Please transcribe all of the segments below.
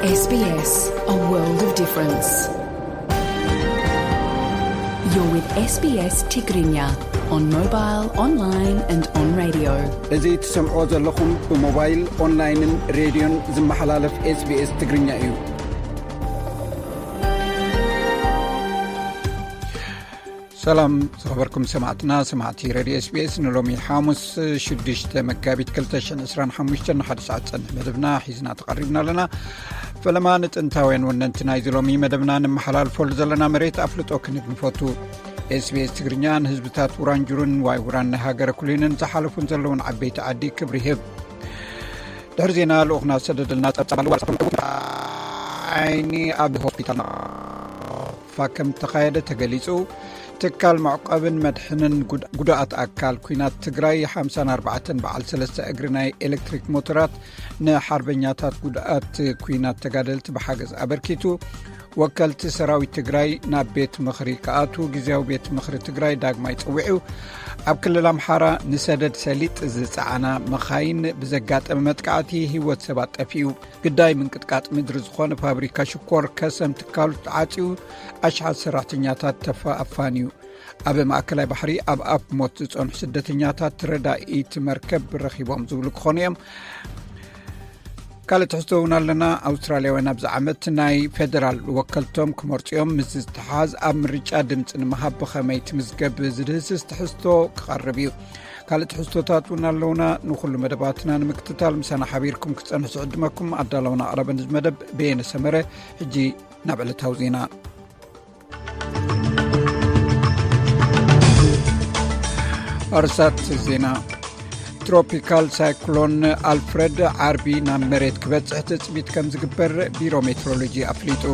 S B S, a world of difference. You're with S B S Tigrinya on mobile, online and on radio. እዚ ትሰምዖ ዘለኹም ብሞባይል፣ ኦንላይንን ሬድዮን ዝመሓላለፍ SBS ትግርኛ እዩ። ሰላም ዝኸበርኩም ሰማዕትና፣ ሰማዕቲ ሬድዮ SBS፣ ንሎሚ ሓሙስ ሽዱሽተ መጋቢት ክልተ ሽሕን ዕስራን ሓሙሽተን ንሓደ ሰዓት ዝጸንሕ መደብና ሒዝና ተቐሪብና ኣለና። ፈለማ ንጥንታውያን ወነንቲ ናይዚ ሎሚ መደብና ንመሓላልፈሉ ዘለና መሬት ኣፍልጦ ክንህብ ንፈቱ። SBS ትግርኛ ንህዝብታት ውራንጁሩን ዋይ ውራን ናይ ሃገረ ኩሊንን ዝሓለፉን ዘለውን ዓበይቲ ዓዲ ክብሪ ይህብ። ድሕሪ ዜና ልኡኽና ዝሰደደልና ጸብጻብ ኣሎ። ዓይኒ ኣብ ሆስፒታል ናቕፋ ከም ተኻየደ ተገሊጹ። ትካል መዕቆብን መድሕንን ጉድ-፣ ጉድኣት ኣካል ኲናት ትግራይ ሓምሳን ኣርባዕተን በዓል ሰለስተ እግሪ ናይ ኤሌክትሪክ ሞተራት ንሓርበኛታት ጉድኣት ኲናት ተጋደልቲ ብሓገዝ ኣበርኪቱ። ወከልቲ ሰራዊት ትግራይ ናብ ቤት ምኽሪ ክኣትዉ ግዝያዊ ቤት ምኽሪ ትግራይ ዳግማይ ጸዊዑ። ኣብ ክልል ኣምሓራ ንሰደድ ሰሊጥ ዝጸዓና መኻይን ብዘጋጠመ መጥቃዕቲ ህይወት ሰባት ጠፊኡ። ግዳይ ምንቅጥቃጥ ምድሪ ዝኾነ ፋብሪካ ሽኮር ከሰም ትካሉ ተዓጽዩ፣ ኣሽሓት ሰራሕተኛታት ተፋ-፣ ኣፋንዩ። ኣብ ማእከላይ ባሕሪ ኣብ ኣፍ ሞት ዝጸንሑ ስደተኛታት ረዳኢት መርከብ ረኺቦም ዝብሉ ክኾኑ እዮም። ካልእ ትሕዝቶ እውን ኣለና። ኣውስትራልያውያን ኣብዚ ዓመት ናይ ፌደራል ወከልቶም ክመርጹ እዮም። ምስ ዝተሓዝ ኣብ ምርጫ ድምፂ ንምሃብ ብኸመይ ትምዝገብ ዝድህስስ ትሕዝቶ ክቐርብ እዩ። ካልእ ትሕዝቶታት እውን ኣለውና። ንኹሉ መደባትና ንምክትታል ምሳና ሓቢርኩም ክትጸንሑ ዝዕድመኩም ኣዳለውና ኣቕረበ ንዚ መደብ በየነ ሰመረ። ሕጂ ናብ ዕለታዊ ዜና። ኣርሳት ዜና። ትሮፒካል ሳይክሎን ኣልፍረድ ዓርቢ ናብ መሬት ክበጽሕ ትጽቢት ከም ዝግበር ቢሮ ሜትሮሎጂ ኣፍሊጡ።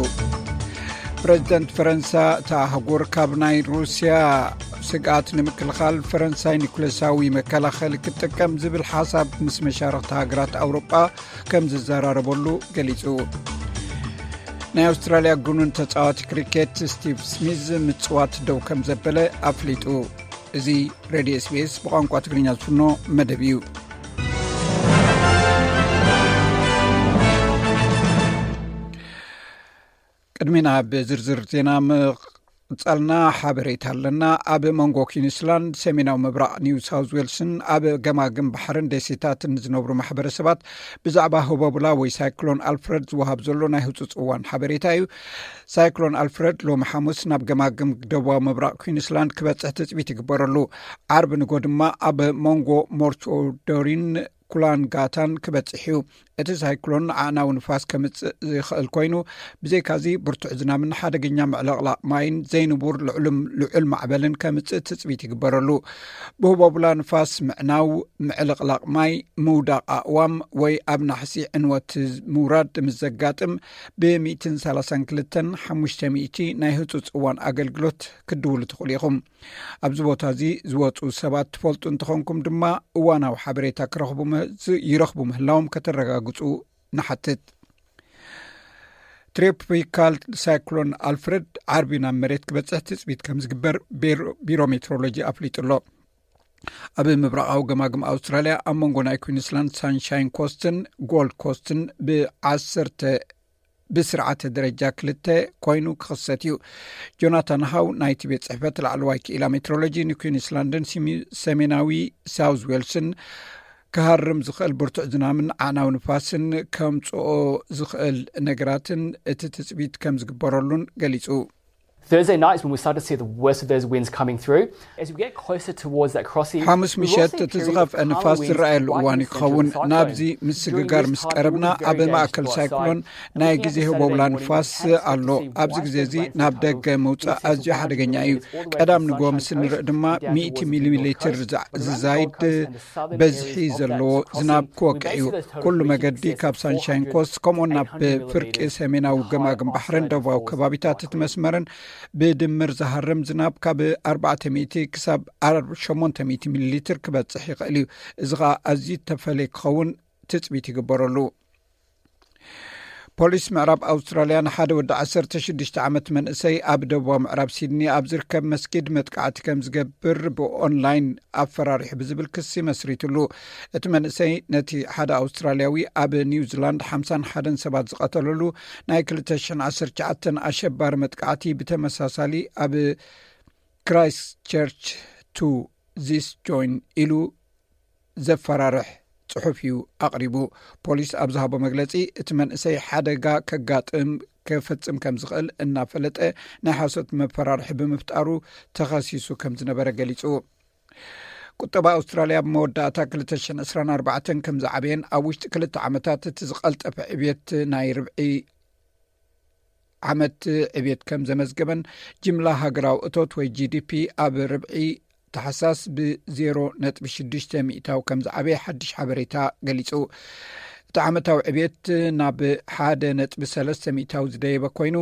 ፕረዚደንት ፈረንሳ፣ እታ ኣህጉር ካብ ናይ ሩስያ ስግኣት ንምክልኻል ፈረንሳይ ኒኩሌሳዊ መከላኸሊ ክትጥቀም ዝብል ሓሳብ ምስ መሻርኽቲ ሃገራት ኣውሮጳ ከም ዝዘራረበሉ ገሊጹ። ናይ ኣውስትራልያ ግኑን ተጻዋቲ ክሪኬት ስቲቭ ስሚዝ ምጽዋት ደው ከም ዘበለ ኣፍሊጡ። እዚ ሬድዮ SBS ብቋንቋ ትግርኛ ዝፍኖ መደብ እዩ። ቅድሚ ናብ ዝርዝር ዜና ምቕጻልና ሓበሬታ ኣለና። ኣብ መንጎ ኲንስላንድ፣ ሰሜናዊ ምብራቕ ኒው ሳውዝ ዌልስን ኣብ ገማግም ባሕርን ደሴታትን ዝነብሩ ማሕበረሰባት ብዛዕባ ህቦብላ ወይ ሳይክሎን ኣልፍረድ ዝወሃብ ዘሎ ናይ ህጹጽ እዋን ሓበሬታ እዩ። ሳይክሎን ኣልፍረድ ሎሚ ሓሙስ ናብ ገማግም ደቡባዊ ምብራቕ ኲንስላንድ ክበጽሕ ትጽቢት ይግበረሉ። ዓርቢ ንጎ ድማ ኣብ መንጎ ሞርቶዶሪን ኩላንጋታን ክበጽሕ እዩ። እቲ ሳይክሎን ኣዕናዊ ንፋስ ከምጽእ ዝኽእል ኮይኑ፣ ብዘይካዚ ብርቱዕ ዝናብን ሓደገኛ ምዕልቕላቕ ማይን ዘይንቡር ልዑል፣ ልዑል ማዕበልን ከምጽእ ትጽቢት ይግበረሉ። ብህቦብላ ንፋስ ምዕናው፣ ምዕልቕላቕ ማይ፣ ምውዳቕ ኣእዋም ወይ ኣብ ናሕሲ ዕንወት ምውራድ ምስ ዘጋጥም፣ ብ ሚእትን ሰላሳን ክልተን ሓሙሽተ ሚእቲ ናይ ህጹጽ እዋን ኣገልግሎት ክትድውሉ ትኽእሉ ኢኹም። ኣብዚ ቦታ እዚ ዝወጹ ሰባት ትፈልጡ እንተኾንኩም ድማ፣ እዋናዊ ሓበሬታ ክረኽቡ ም-፣ ዝ-፣ ይረኽቡ ምህላዎም ከተረጋግጹ ንሓትት። ትሮፒካል ሳይክሎን ኣልፍረድ ዓርቢ ናብ መሬት ክበጽሕ ትጽቢት ከም ዝግበር ቤሮ-፣ ቢሮ ሜትሮሎጂ ኣፍሊጡ ኣሎ። ኣብ ምብራቓዊ ገማግም ኣውስትራልያ፣ ኣብ መንጎ ናይ ኩዊንስላንድ ሳንሻይን ኮስትን ጎልድ ኮስትን ብዓሰርተ ብስርዓተ ደረጃ ክልተ ኮይኑ ክኽሰት እዩ። ጆናታን ሃው ናይቲ ቤት ጽሕፈት ላዕለዋይ ክኢላ ሜትሮሎጂ ንኩዊንስላንድን ሲሚ-፣ ሰሜናዊ ሳውዝ ዌልስን ክሃርም ዝኽእል ብርቱዕ ዝናምን ዓዕናዊ ንፋስን ከምጽኦ ዝኽእል ነገራትን እቲ ትጽቢት ከም ዝግበረሉን ገሊጹ። Thursday night is when we start to see the worst of those winds coming through. As we get closer towards that crossing, ሓሙስ we will ምሸት see እቲ ዝኸፍአ ንፋስ ዝረኣየሉ እዋን ይኸውን። ናብዚ ምስግጋር ምስ ቀረብና ኣብ ማእከል ሳይክሎን ናይ ግዜ ህቦብላ ንፋስ ኣሎ። ኣብዚ ግዜ እዚ ናብ ደገ ምውጻእ ኣዝዩ ሓደገኛ እዩ። ቀዳም ንግሆ ምስ ንርኢ ድማ ሚእቲ ሚሊ ሊትር ዝዛይድ በዝሒ ዘለዎ ዝናብ ክወቅዕ እዩ። ኩሉ መገዲ ካብ ሳንሻይን ኮስት ከምኡውን ናብ ፍርቂ ሰሜናዊ ገማግም ባሕርን ደቡባዊ ከባቢታት እቲ መስመርን ብድምር ዝሃርም ዝናብ ካብ ኣርባዕተ ሚእቲ ክሳብ ሸሞንተ ሚእቲ ሚሊ ሊትር ክበጽሕ ይኽእል እዩ። እዚ ኸኣ ኣዝዩ ተፈለየ ክኸውን ትጽቢት ይግበረሉ። ፖሊስ ምዕራብ ኣውስትራልያ ንሓደ ወዲ ዓሰርተ ሽዱሽተ ዓመት መንእሰይ ኣብ ደቡባዊ ምዕራብ ሲድኒ ኣብ ዝርከብ መስጊድ መጥቃዕቲ ከም ዝገብር ብኦንላይን ኣፈራሪሑ ብዝብል ክሲ መስሪትሉ። እቲ መንእሰይ ነቲ ሓደ ኣውስትራልያዊ ኣብ ኒውዚላንድ ሓምሳን ሓደን ሰባት ዝቐተለሉ ናይ ክልተ ሽሕን ዓሰርተ ትሽዓተን ኣሸባሪ መጥቃዕቲ ብተመሳሳሊ ኣብ ክራይስት ቸርች ቱ ዚስ ጆይን ኢሉ ዘፈራርሕ ጽሑፍ እዩ ኣቕሪቡ። ፖሊስ ኣብ ዝሃቦ መግለጺ፣ እቲ መንእሰይ ሓደጋ ከጋጥም ከፈጽም ከም ዝኽእል እናፈለጠ ናይ ሓሶት መፈራርሒ ብምፍጣሩ ተኸሲሱ ከም ዝነበረ ገሊጹ። ቁጠባ ኣውስትራልያ ኣብ መወዳእታ ክልተ ሽሕን ዕስራን ኣርባዕተን ከም ዝዓበየን ኣብ ውሽጢ ክልተ ዓመታት እቲ ዝቐልጠፈ ዕብየት ናይ ርብዒ ዓመት ዕብየት ከም ዘመዝገበን ጅምላ ሃገራዊ እቶት ወይ ጂ ዲ ፒ ኣብ ርብዒ ታሕሳስ ብ ዜሮ ነጥቢ ሽዱሽተ ሚእታዊ ከም ዝዓበየ ሓድሽ ሓበሬታ ገሊጹ። እቲ ዓመታዊ ዕብየት ናብ ሓደ ነጥቢ ሰለስተ ሚእታዊ ዝደየበ ኮይኑ፣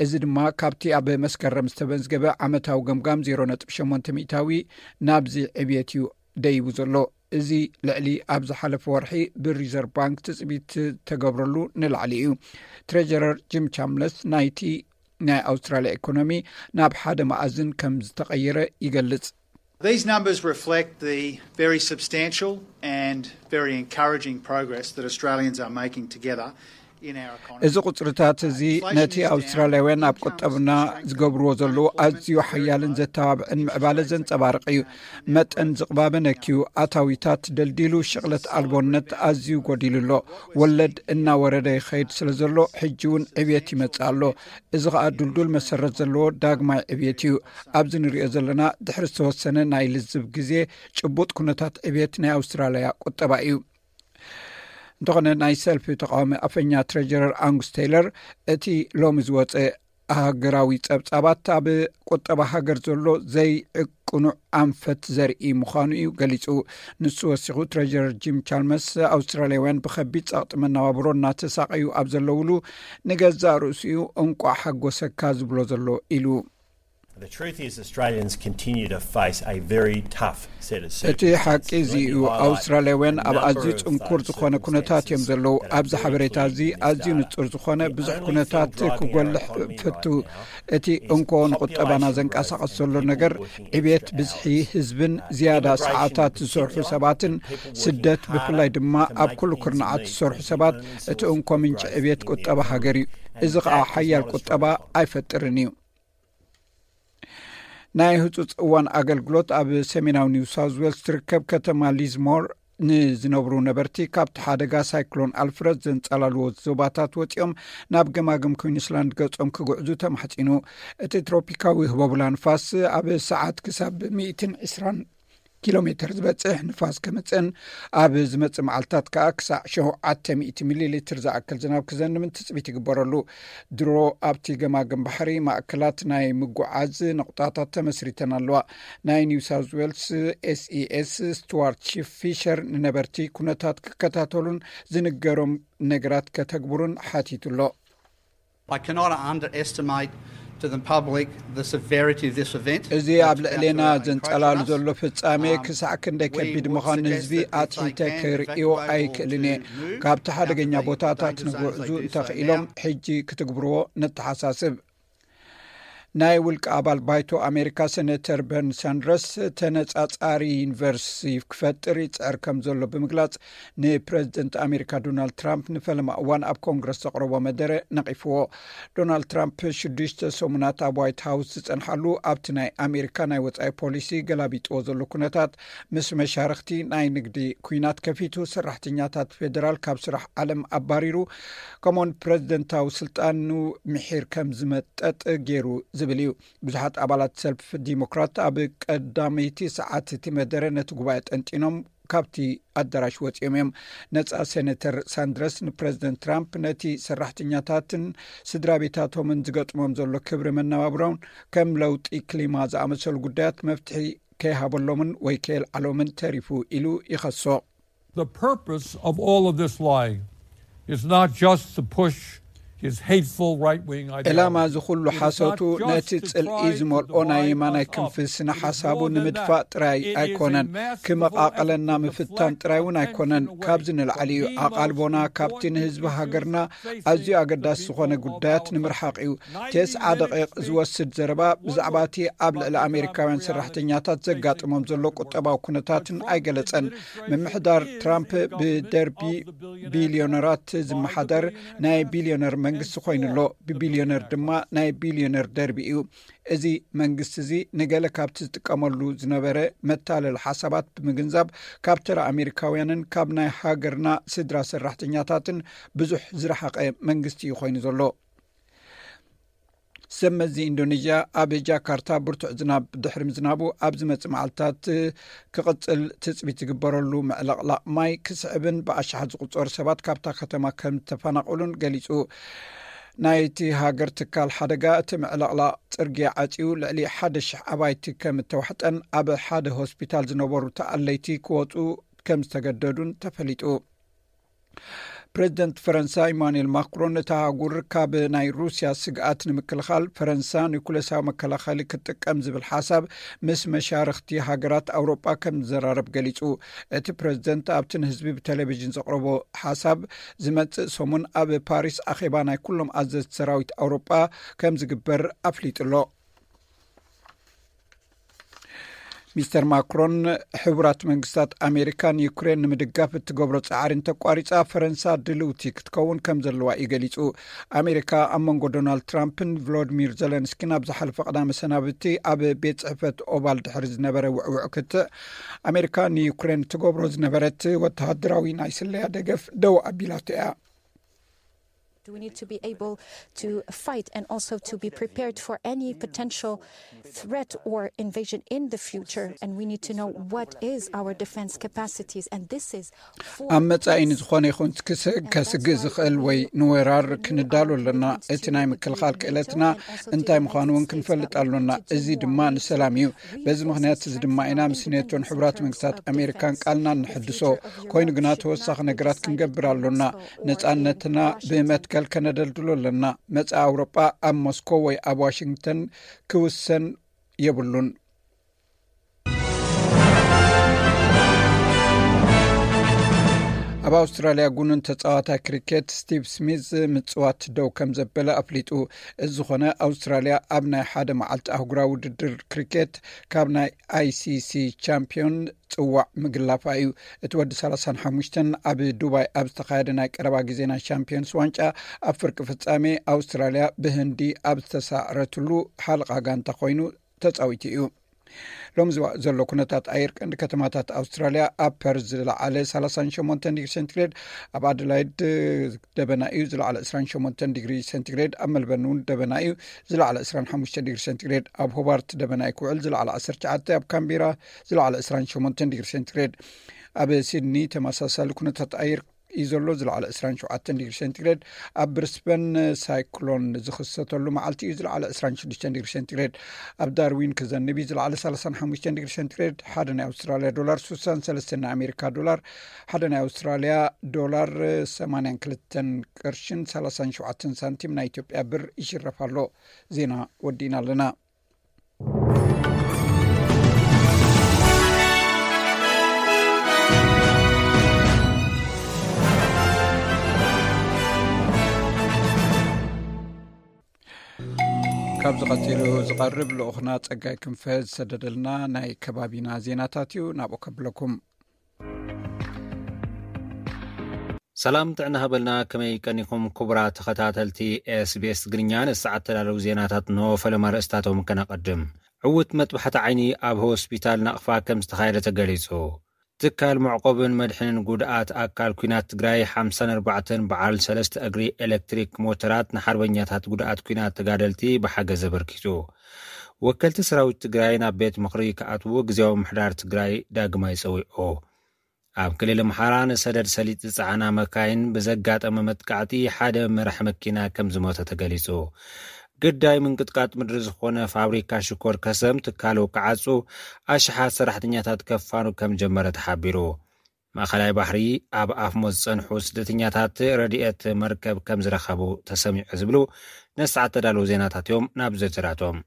እዚ ድማ ካብቲ ኣብ መስከረም ዝተመዝገበ ዓመታዊ ገምጋም ዜሮ ነጥቢ ሸሞንተ ሚእታዊ ናብዚ ዕብየት እዩ ደይቡ ዘሎ። እዚ ልዕሊ ኣብ ዝሓለፈ ወርሒ ብሪዘርቭ ባንክ ትጽቢት ተገብረሉ ንላዕሊ እዩ። ትሬጀረር ጂም ቻምለስ ናይቲ ናይ ኣውስትራልያ ኢኮኖሚ ናብ ሓደ መኣዝን ከም ዝተቐየረ ይገልጽ። These numbers reflect the very substantial and very encouraging progress that Australians are making together in our economy. እዚ ቁጽርታት እዚ ነቲ ኣውስትራልያውያን ኣብ ቁጠብና ዝገብርዎ ዘለዉ ኣዝዩ ሓያልን ዘተባብዕን ምዕባለ ዘንጸባርቕ እዩ። መጠን ዝቕባበ ነክዩ፣ ኣታዊታት ደልዲሉ፣ ሽቕለት ኣልቦነት ኣዝዩ ጎዲሉ ኣሎ። ወለድ እናወረደ ይኸይድ ስለ ዘሎ ሕጂ እውን ዕብየት ይመጽእ ኣሎ። እዚ ኸኣ ድልዱል መሰረት ዘለዎ ዳግማይ ዕብየት እዩ። ኣብዚ ንሪኦ ዘለና ድሕሪ ዝተወሰነ ናይ ልዝብ ግዜ ጭቡጥ ኩነታት ዕብየት ናይ ኣውስትራልያ ቁጠባ እዩ። እንተኾነ ናይ ሰልፊ ተቃዋሚ ኣፈኛ ትሬጀረር ኣንጉስ ቴይለር እቲ ሎሚ ዝወፀ ሃገራዊ ጸብጻባት ኣብ ቁጠባ ሃገር ዘሎ ዘይቅኑዕ ኣንፈት ዘርኢ ምዃኑ እዩ ገሊጹ። ንሱ ወሲኹ ትሬጀረር ጂም ቻልመስ ኣውስትራልያውያን ብኸቢድ ጸቕጢ መነባብሮ እናተሳቐዩ ኣብ ዘለውሉ ንገዛእ ርእሲኡ እንቋዕ ሓጎሰካ ዝብሎ ዘሎ ኢሉ። The truth is Australians continue to face a very tough set of እቲ ሓቂ እዚ እዩ። ኣውስትራልያውያን ኣብ ኣዝዩ ጽንኩር ዝኾነ ኩነታት እዮም ዘለዉ። ኣብዚ ሓበሬታ እዚ ኣዝዩ ንጹር ዝኾነ ብዙሕ ኩነታት ክጎልሕ ፈቱ። እቲ እንኮ ንቁጠባና ዘንቀሳቐስ ዘሎ ነገር ዕብየት ብዝሒ ህዝብን ዝያዳ ሰዓታት ዝሰርሑ ሰባትን ስደት፣ ብፍላይ ድማ ኣብ ኩሉ ኩርናዓት ዝሰርሑ ሰባት እቲ እንኮ ምንጪ ዕብየት ቁጠባ ሃገር እዩ። እዚ ኸኣ ሓያል ቁጠባ ኣይፈጥርን እዩ። ናይ ህጹጽ እዋን ኣገልግሎት ኣብ ሰሜናዊ ኒው ሳውዝ ዌልስ ትርከብ ከተማ ሊዝሞር ንዝነብሩ ነበርቲ ካብቲ ሓደጋ ሳይክሎን ኣልፍረድ ዘንጸላልዎ ዞባታት ወጺኦም ናብ ገማግም ኩዊንስላንድ ገጾም ክጉዕዙ ተማሕጺኑ። እቲ ትሮፒካዊ ህቦብላ ንፋስ ኣብ ሰዓት ክሳብ ሚእትን ዕስራን ኪሎ ሜተር ዝበጽሕ ንፋስ ከምጽእን ኣብ ዝመጽእ መዓልታት ከኣ ክሳዕ ሸውዓተ ሚእቲ ሚሊ ሊትር ዝኣክል ዝናብ ክዘንብን ትጽቢት ይግበረሉ። ድሮ ኣብቲ ገማግም ባሕሪ ማእከላት ናይ ምጉዓዝ ነቑጣታት ተመስሪተን ኣለዋ። ናይ ኒው ሳውዝ ዌልስ ኤስኢኤስ ስቱዋርት ሺፍ ፊሸር ንነበርቲ ኩነታት ክከታተሉን ዝንገሮም ነገራት ከተግብሩን ሓቲቱ ኣሎ። I cannot underestimate to the public the severity of this event. እዚ ኣብ ልዕሌና ዘንጸላሉ ዘሎ ፍጻሜ ክሳዕ ክንደይ ከቢድ ምዃኑ ንህዝቢ ኣትሒተ ክርእዮ ኣይክእልን እየ። ካብቲ ሓደገኛ ቦታታት ንጉዕዙ እንተኽኢሎም ሕጂ ክትግብርዎ ነተሓሳስብ። ናይ ውልቂ ኣባል ባይቶ ኣሜሪካ ሴኔተር በርኒ ሳንደርስ ተነጻጻሪ ዩኒቨርሲቲ ክፈጥር ይጽዕር ከም ዘሎ ብምግላጽ፣ ንፕረዚደንት ኣሜሪካ ዶናልድ ትራምፕ ንፈለማ እዋን ኣብ ኮንግረስ ዘቕረቦ መደረ ነቒፍዎ። ዶናልድ ትራምፕ ሽዱሽተ ሰሙናት ኣብ ዋይት ሃውስ ዝጸንሓሉ ኣብቲ ናይ ኣሜሪካ ናይ ወጻኢ ፖሊሲ ገላቢጥዎ ዘሎ ኩነታት፣ ምስ መሻርኽቲ ናይ ንግዲ ኩናት ከፊቱ፣ ሰራሕተኛታት ፌደራል ካብ ስራሕ ዓለም ኣባሪሩ፣ ከምኡውን ፕረዚደንታዊ ስልጣኑ ምሒር ከም ዝመጠጥ ገይሩ ዝብል እዩ። ብዙሓት ኣባላት ሰልፊ ዲሞክራት ኣብ ቀዳመይቲ ሰዓት እቲ መደረ ነቲ ጉባኤ ጠንጢኖም ካብቲ ኣዳራሽ ወጺኦም እዮም። ነጻ ሴኔተር ሳንድረስ ንፕረዚደንት ትራምፕ ነቲ ሰራሕተኛታትን ስድራ ቤታቶምን ዝገጥሞም ዘሎ ክብሪ መነባብሮን ከም ለውጢ ክሊማ ዝኣመሰሉ ጉዳያት መፍትሒ ከይሃበሎምን ወይ ከየልዓሎምን ተሪፉ ኢሉ ይኸሶ። The purpose of all of this lying is not just to push is hateful right-wing ideology. ዕላማ እዚ ኩሉ ሓሶቱ ነቲ ጽልኢ ዝመልኦ ናይ የማናይ ክንፊ ስነ ሓሳቡ ንምድፋእ ጥራይ ኣይኮነን፣ ክመቓቐለና ምፍታን ጥራይ እውን ኣይኮነን። ካብዚ ንላዕሊ እዩ። ኣቓልቦና ካብቲ ንህዝቢ ሃገርና ኣዝዩ ኣገዳሲ ዝኾነ ጉዳያት ንምርሓቕ እዩ። ተስዓ ደቂቕ ዝወስድ ዘረባ ብዛዕባ እቲ ኣብ ልዕሊ ኣሜሪካውያን ሰራሕተኛታት ዘጋጥሞም ዘሎ ቁጠባዊ ኩነታትን ኣይገለጸን። ምምሕዳር ትራምፕ ብደርቢ ቢልዮነራት ዝመሓደር ናይ ቢልዮነር መንግስቲ ኮይኑ ኣሎ። ብቢልዮነር ድማ ናይ ቢልዮነር ደርቢ እዩ። እዚ መንግስቲ እዚ ንገለ ካብቲ ዝጥቀመሉ ዝነበረ መታለሊ ሓሳባት ብምግንዛብ ካብ ተራ ኣሜሪካውያንን ካብ ናይ ሃገርና ስድራ ሰራሕተኛታትን ብዙሕ ዝረሓቐ መንግስቲ እዩ ኮይኑ ዘሎ። ሰብ መዚ ኢንዶኔዥያ ኣብ ጃካርታ ብርቱዕ ዝናብ ድሕሪ ምዝናቡ ኣብ ዝመጽእ መዓልታት ክቕጽል ትጽቢት ዝግበረሉ ምዕለቕላቕ ማይ ክስዕብን ብኣሽሓት ዝቑጸሩ ሰባት ካብታ ከተማ ከም ዝተፈናቐሉን ገሊጹ። ናይቲ ሃገር ትካል ሓደጋ እቲ ምዕለቕላቕ ጽርግያ ዓጽዩ ልዕሊ ሓደ ሽሕ ኣባይቲ ከም እተዋሕጠን ኣብ ሓደ ሆስፒታል ዝነበሩ ተኣለይቲ ክወጹ ከም ዝተገደዱን ተፈሊጡ። ፕሬዚደንት ፈረንሳ ኢማኑኤል ማክሮን እታ ኣህጉር ካብ ናይ ሩስያ ስግኣት ንምክልኻል ፈረንሳ ኒኩሌሳዊ መከላኸሊ ክትጥቀም ዝብል ሓሳብ ምስ መሻርኽቲ ሃገራት ኣውሮጳ ከም ዝዘራረብ ገሊጹ። እቲ ፕሬዚደንት ኣብቲ ንህዝቢ ብቴሌቪዥን ዘቕረቦ ሓሳብ ዝመጽእ ሰሙን ኣብ ፓሪስ ኣኼባ ናይ ኩሎም ኣዘዝቲ ሰራዊት ኣውሮጳ ከም ዝግበር ኣፍሊጡ ኣሎ። ሚስተር ማክሮን ሕቡራት መንግስታት ኣሜሪካ ንዩክሬን ንምድጋፍ እትገብሮ ጻዕሪ እንተቋሪጻ ፈረንሳ ድልውቲ ክትከውን ከም ዘለዋ እዩ ገሊጹ። ኣሜሪካ ኣብ መንጎ ዶናልድ ትራምፕን ቭሎዲሚር ዘለንስኪን ኣብ ዝሓለፈ ቀዳመ ሰናብቲ ኣብ ቤት ጽሕፈት ኦቫል ድሕሪ ዝነበረ ውዕውዕ ክትዕ ኣሜሪካ ንዩክሬን ትገብሮ ዝነበረት ወተሃደራዊ ናይ ስለያ ደገፍ ደው ኣቢላቶ እያ። We need to be able to fight and also to be prepared for any potential threat or invasion in the future. And we need to know what is our defense capacities. And this is for ኣብ መጻኢ ንዝኾነ ይኹን ክስ- ከስግእ ዝኽእል ወይ ንወራር ክንዳሎ ኣለና። እቲ ናይ ምክልኻል ክእለትና እንታይ ምዃኑ እውን ክንፈልጥ ኣሎና። እዚ ድማ ንሰላም እዩ። በዚ ምኽንያት እዚ ድማ ኢና ምስ ኔቶን ሕቡራት መንግስታት ኣሜሪካን ቃልና እንሕድሶ። ኮይኑ ግና ተወሳኺ ነገራት ክንገብር ኣሎና። ነጻነትና ብመትከል ከነደልድሎ ኣለና። መጻኢ ኣውሮጳ ኣብ ሞስኮ ወይ ኣብ ዋሽንግተን ክውሰን የብሉን። ኣብ ኣውስትራልያ ጉኑን ተጻዋታይ ክሪኬት ስቲቭ ስሚዝ ምጽዋት ደው ከም ዘበለ ኣፍሊጡ። እዚ ዝኾነ ኣውስትራልያ ኣብ ናይ ሓደ መዓልቲ ኣህጉራዊ ውድድር ክሪኬት ካብ ናይ ኣይሲሲ ቻምፒዮን ጽዋዕ ምግላፋ እዩ። እቲ ወዲ ሰላሳን ሓሙሽተን ኣብ ዱባይ ኣብ ዝተኻየደ ናይ ቀረባ ግዜ ናይ ቻምፒዮንስ ዋንጫ ኣብ ፍርቂ ፍጻሜ ኣውስትራልያ ብህንዲ ኣብ ዝተሳዕረትሉ ሓለቓ ጋንታ ኮይኑ ተጻዊቱ እዩ። ሎሚ ዝዋ- ዘሎ ኩነታት ኣየር ቀንዲ ከተማታት ኣውስትራልያ ኣብ ፐርዝ ዝለዓለ ሰላሳን ሸሞንተን ዲግሪ ሴንቲግሬድ፣ ኣብ ኣደላይድ ደበና እዩ ዝለዓለ ዕስራን ሸሞንተን ዲግሪ ሴንቲግሬድ፣ ኣብ መልበርን እውን ደበና እዩ ዝለዓለ ዕስራን ሓሙሽተ ዲግሪ ሴንቲግሬድ፣ ኣብ ሆባርት ደበና እዩ ክውዕል ዝለዓለ ዓሰርተ ትሽዓተ፣ ኣብ ካምቤራ ዝለዓለ ዕስራን ሸሞንተን ዲግሪ ሴንቲግሬድ፣ ኣብ ሲድኒ ተመሳሳሊ ኩነታት ኣየር እዩ ዘሎ ዝለዓለ ዕስራን ሸውዓተን ዲግሪ ሴንቲግሬድ፣ ኣብ ብሪስበን ሳይክሎን ዝኽሰተሉ መዓልቲ እዩ ዝለዓለ ዕስራን ሽዱሽተን ዲግሪ ሴንቲግሬድ፣ ኣብ ዳርዊን ክዘንብ እዩ ዝለዓለ ሰላሳን ሓሙሽተን ዲግሪ ሴንቲግሬድ፣ ሓደ ናይ ኣውስትራልያ ዶላር ስሳን ሰለስተን ናይ ኣሜሪካ ዶላር፣ ሓደ ናይ ኣውስትራልያ ዶላር ሰማንያን ክልተን ቅርሽን ሰላሳን ሸውዓተን ሳንቲም ናይ ኢትዮጵያ ብር ይሽረፍ ኣሎ። ዜና ወዲእና ኣለና። ካብዚ ቀጺሉ ዝቐርብ ልኡኽና ጸጋይ ክንፈ ዝሰደደልና ናይ ከባቢና ዜናታት እዩ። ናብኡ ከብለኩም። ሰላም ጥዕና ሃበልና። ከመይ ቀኒኹም ክቡራት ተኸታተልቲ ኤስቢኤስ ትግርኛ? ንሰዓት ተዳለዉ ዜናታት እንሆ። ፈለማ ርእስታቶም ከነቐድም። ዕውት መጥባሕቲ ዓይኒ ኣብ ሆስፒታል ናቕፋ ከም ዝተኻየደ ተገሊጹ። ትካል መዕቆብን መድሕንን ጉድኣት ኣካል ኲናት ትግራይ ሓምሳን ኣርባዕተን በዓል ሰለስተ እግሪ ኤሌክትሪክ ሞተራት ንሓርበኛታት ጉድኣት ኲናት ተጋደልቲ ብሓገዝ ኣበርኪቱ። ወከልቲ ሰራዊት ትግራይ ናብ ቤት ምኽሪ ክኣትዉ ግዜያዊ ምሕዳር ትግራይ ዳግማይ ጸዊዑ። ኣብ ክልል ኣምሓራ ንሰደድ ሰሊጥ ዝጸዓና መካይን ብዘጋጠመ መጥቃዕቲ ሓደ መራሕ መኪና ከም ዝሞተ ተገሊጹ። ግዳይ ምንቅጥቃጥ ምድሪ ዝኾነ ፋብሪካ ሽኮር ከሰም ትካሉ ክዓጹ ኣሽሓት ሰራሕተኛታት ከፋኑ ከም ጀመረ ተሓቢሩ። ማእኸላይ ባሕሪ ኣብ ኣፍሞት ዝጸንሑ ስደተኛታት ረድኤት መርከብ ከም ዝረኸቡ ተሰሚዑ ዝብሉ ነሰዓት ተዳለዉ ዜናታት እዮም። ናብ ዝርዝራቶም።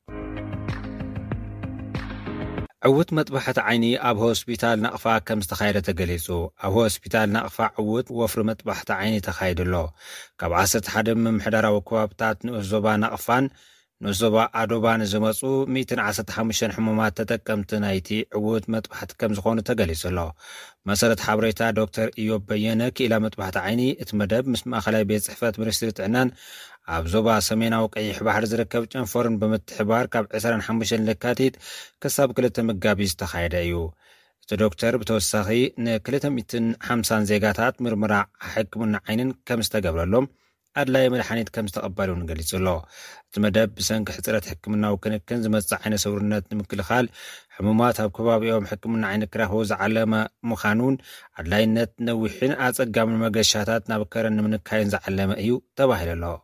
ዕውት መጥባሕቲ ዓይኒ ኣብ ሆስፒታል ናቕፋ ከም ዝተኻየደ ተገሊጹ። ኣብ ሆስፒታል ናቕፋ ዕውት ወፍሪ መጥባሕቲ ዓይኒ ተኻይዱ ኣሎ። ካብ ዓሰርተ ሓደ ምምሕዳራዊ ከባብታት ንኡስ ዞባ ናቕፋን ንኡስ ዞባ ኣዶባን ዝመጹ ሚእትን ዓሰርተ ሓሙሽተን ሕሙማት ተጠቀምቲ ናይቲ ዕውት መጥባሕቲ ከም ዝኾኑ ተገሊጹ ኣሎ። መሰረት ሓበሬታ ዶክተር ኢዮብ በየነ፣ ክኢላ መጥባሕቲ ዓይኒ እቲ መደብ ምስ ማእኸላይ ቤት ጽሕፈት ሚኒስትሪ ጥዕናን ኣብ ዞባ ሰሜናዊ ቀይሕ ባሕሪ ዝርከብ ጨንፈርን ብምትሕባር ካብ ዕስራን ሓሙሽተን ለካቲት ክሳብ ክልተ መጋቢት ዝተኻየደ እዩ። እቲ ዶክተር ብተወሳኺ ንክልተ ሚእትን ሓምሳን ዜጋታት ምርመራ ሕክምና ዓይንን ከም ዝተገብረሎም ኣድላዪ መድሓኒት ከም ዝተቐበሉ እውን ገሊጹ ኣሎ። እቲ መደብ ብሰንኪ ሕጽረት ሕክምናዊ ክንክን ዝመጽእ ዓይነ ስውርነት ንምክልኻል፣ ሕሙማት ኣብ ከባቢኦም ሕክምና ዓይኒ ክረኽቡ ዝዓለመ ምዃኑን ኣድላይነት ነዊሕን ኣጸጋምን መገሻታት ናብ ከረን ንምንካይን ዝዓለመ እዩ ተባሂሉ ኣሎ።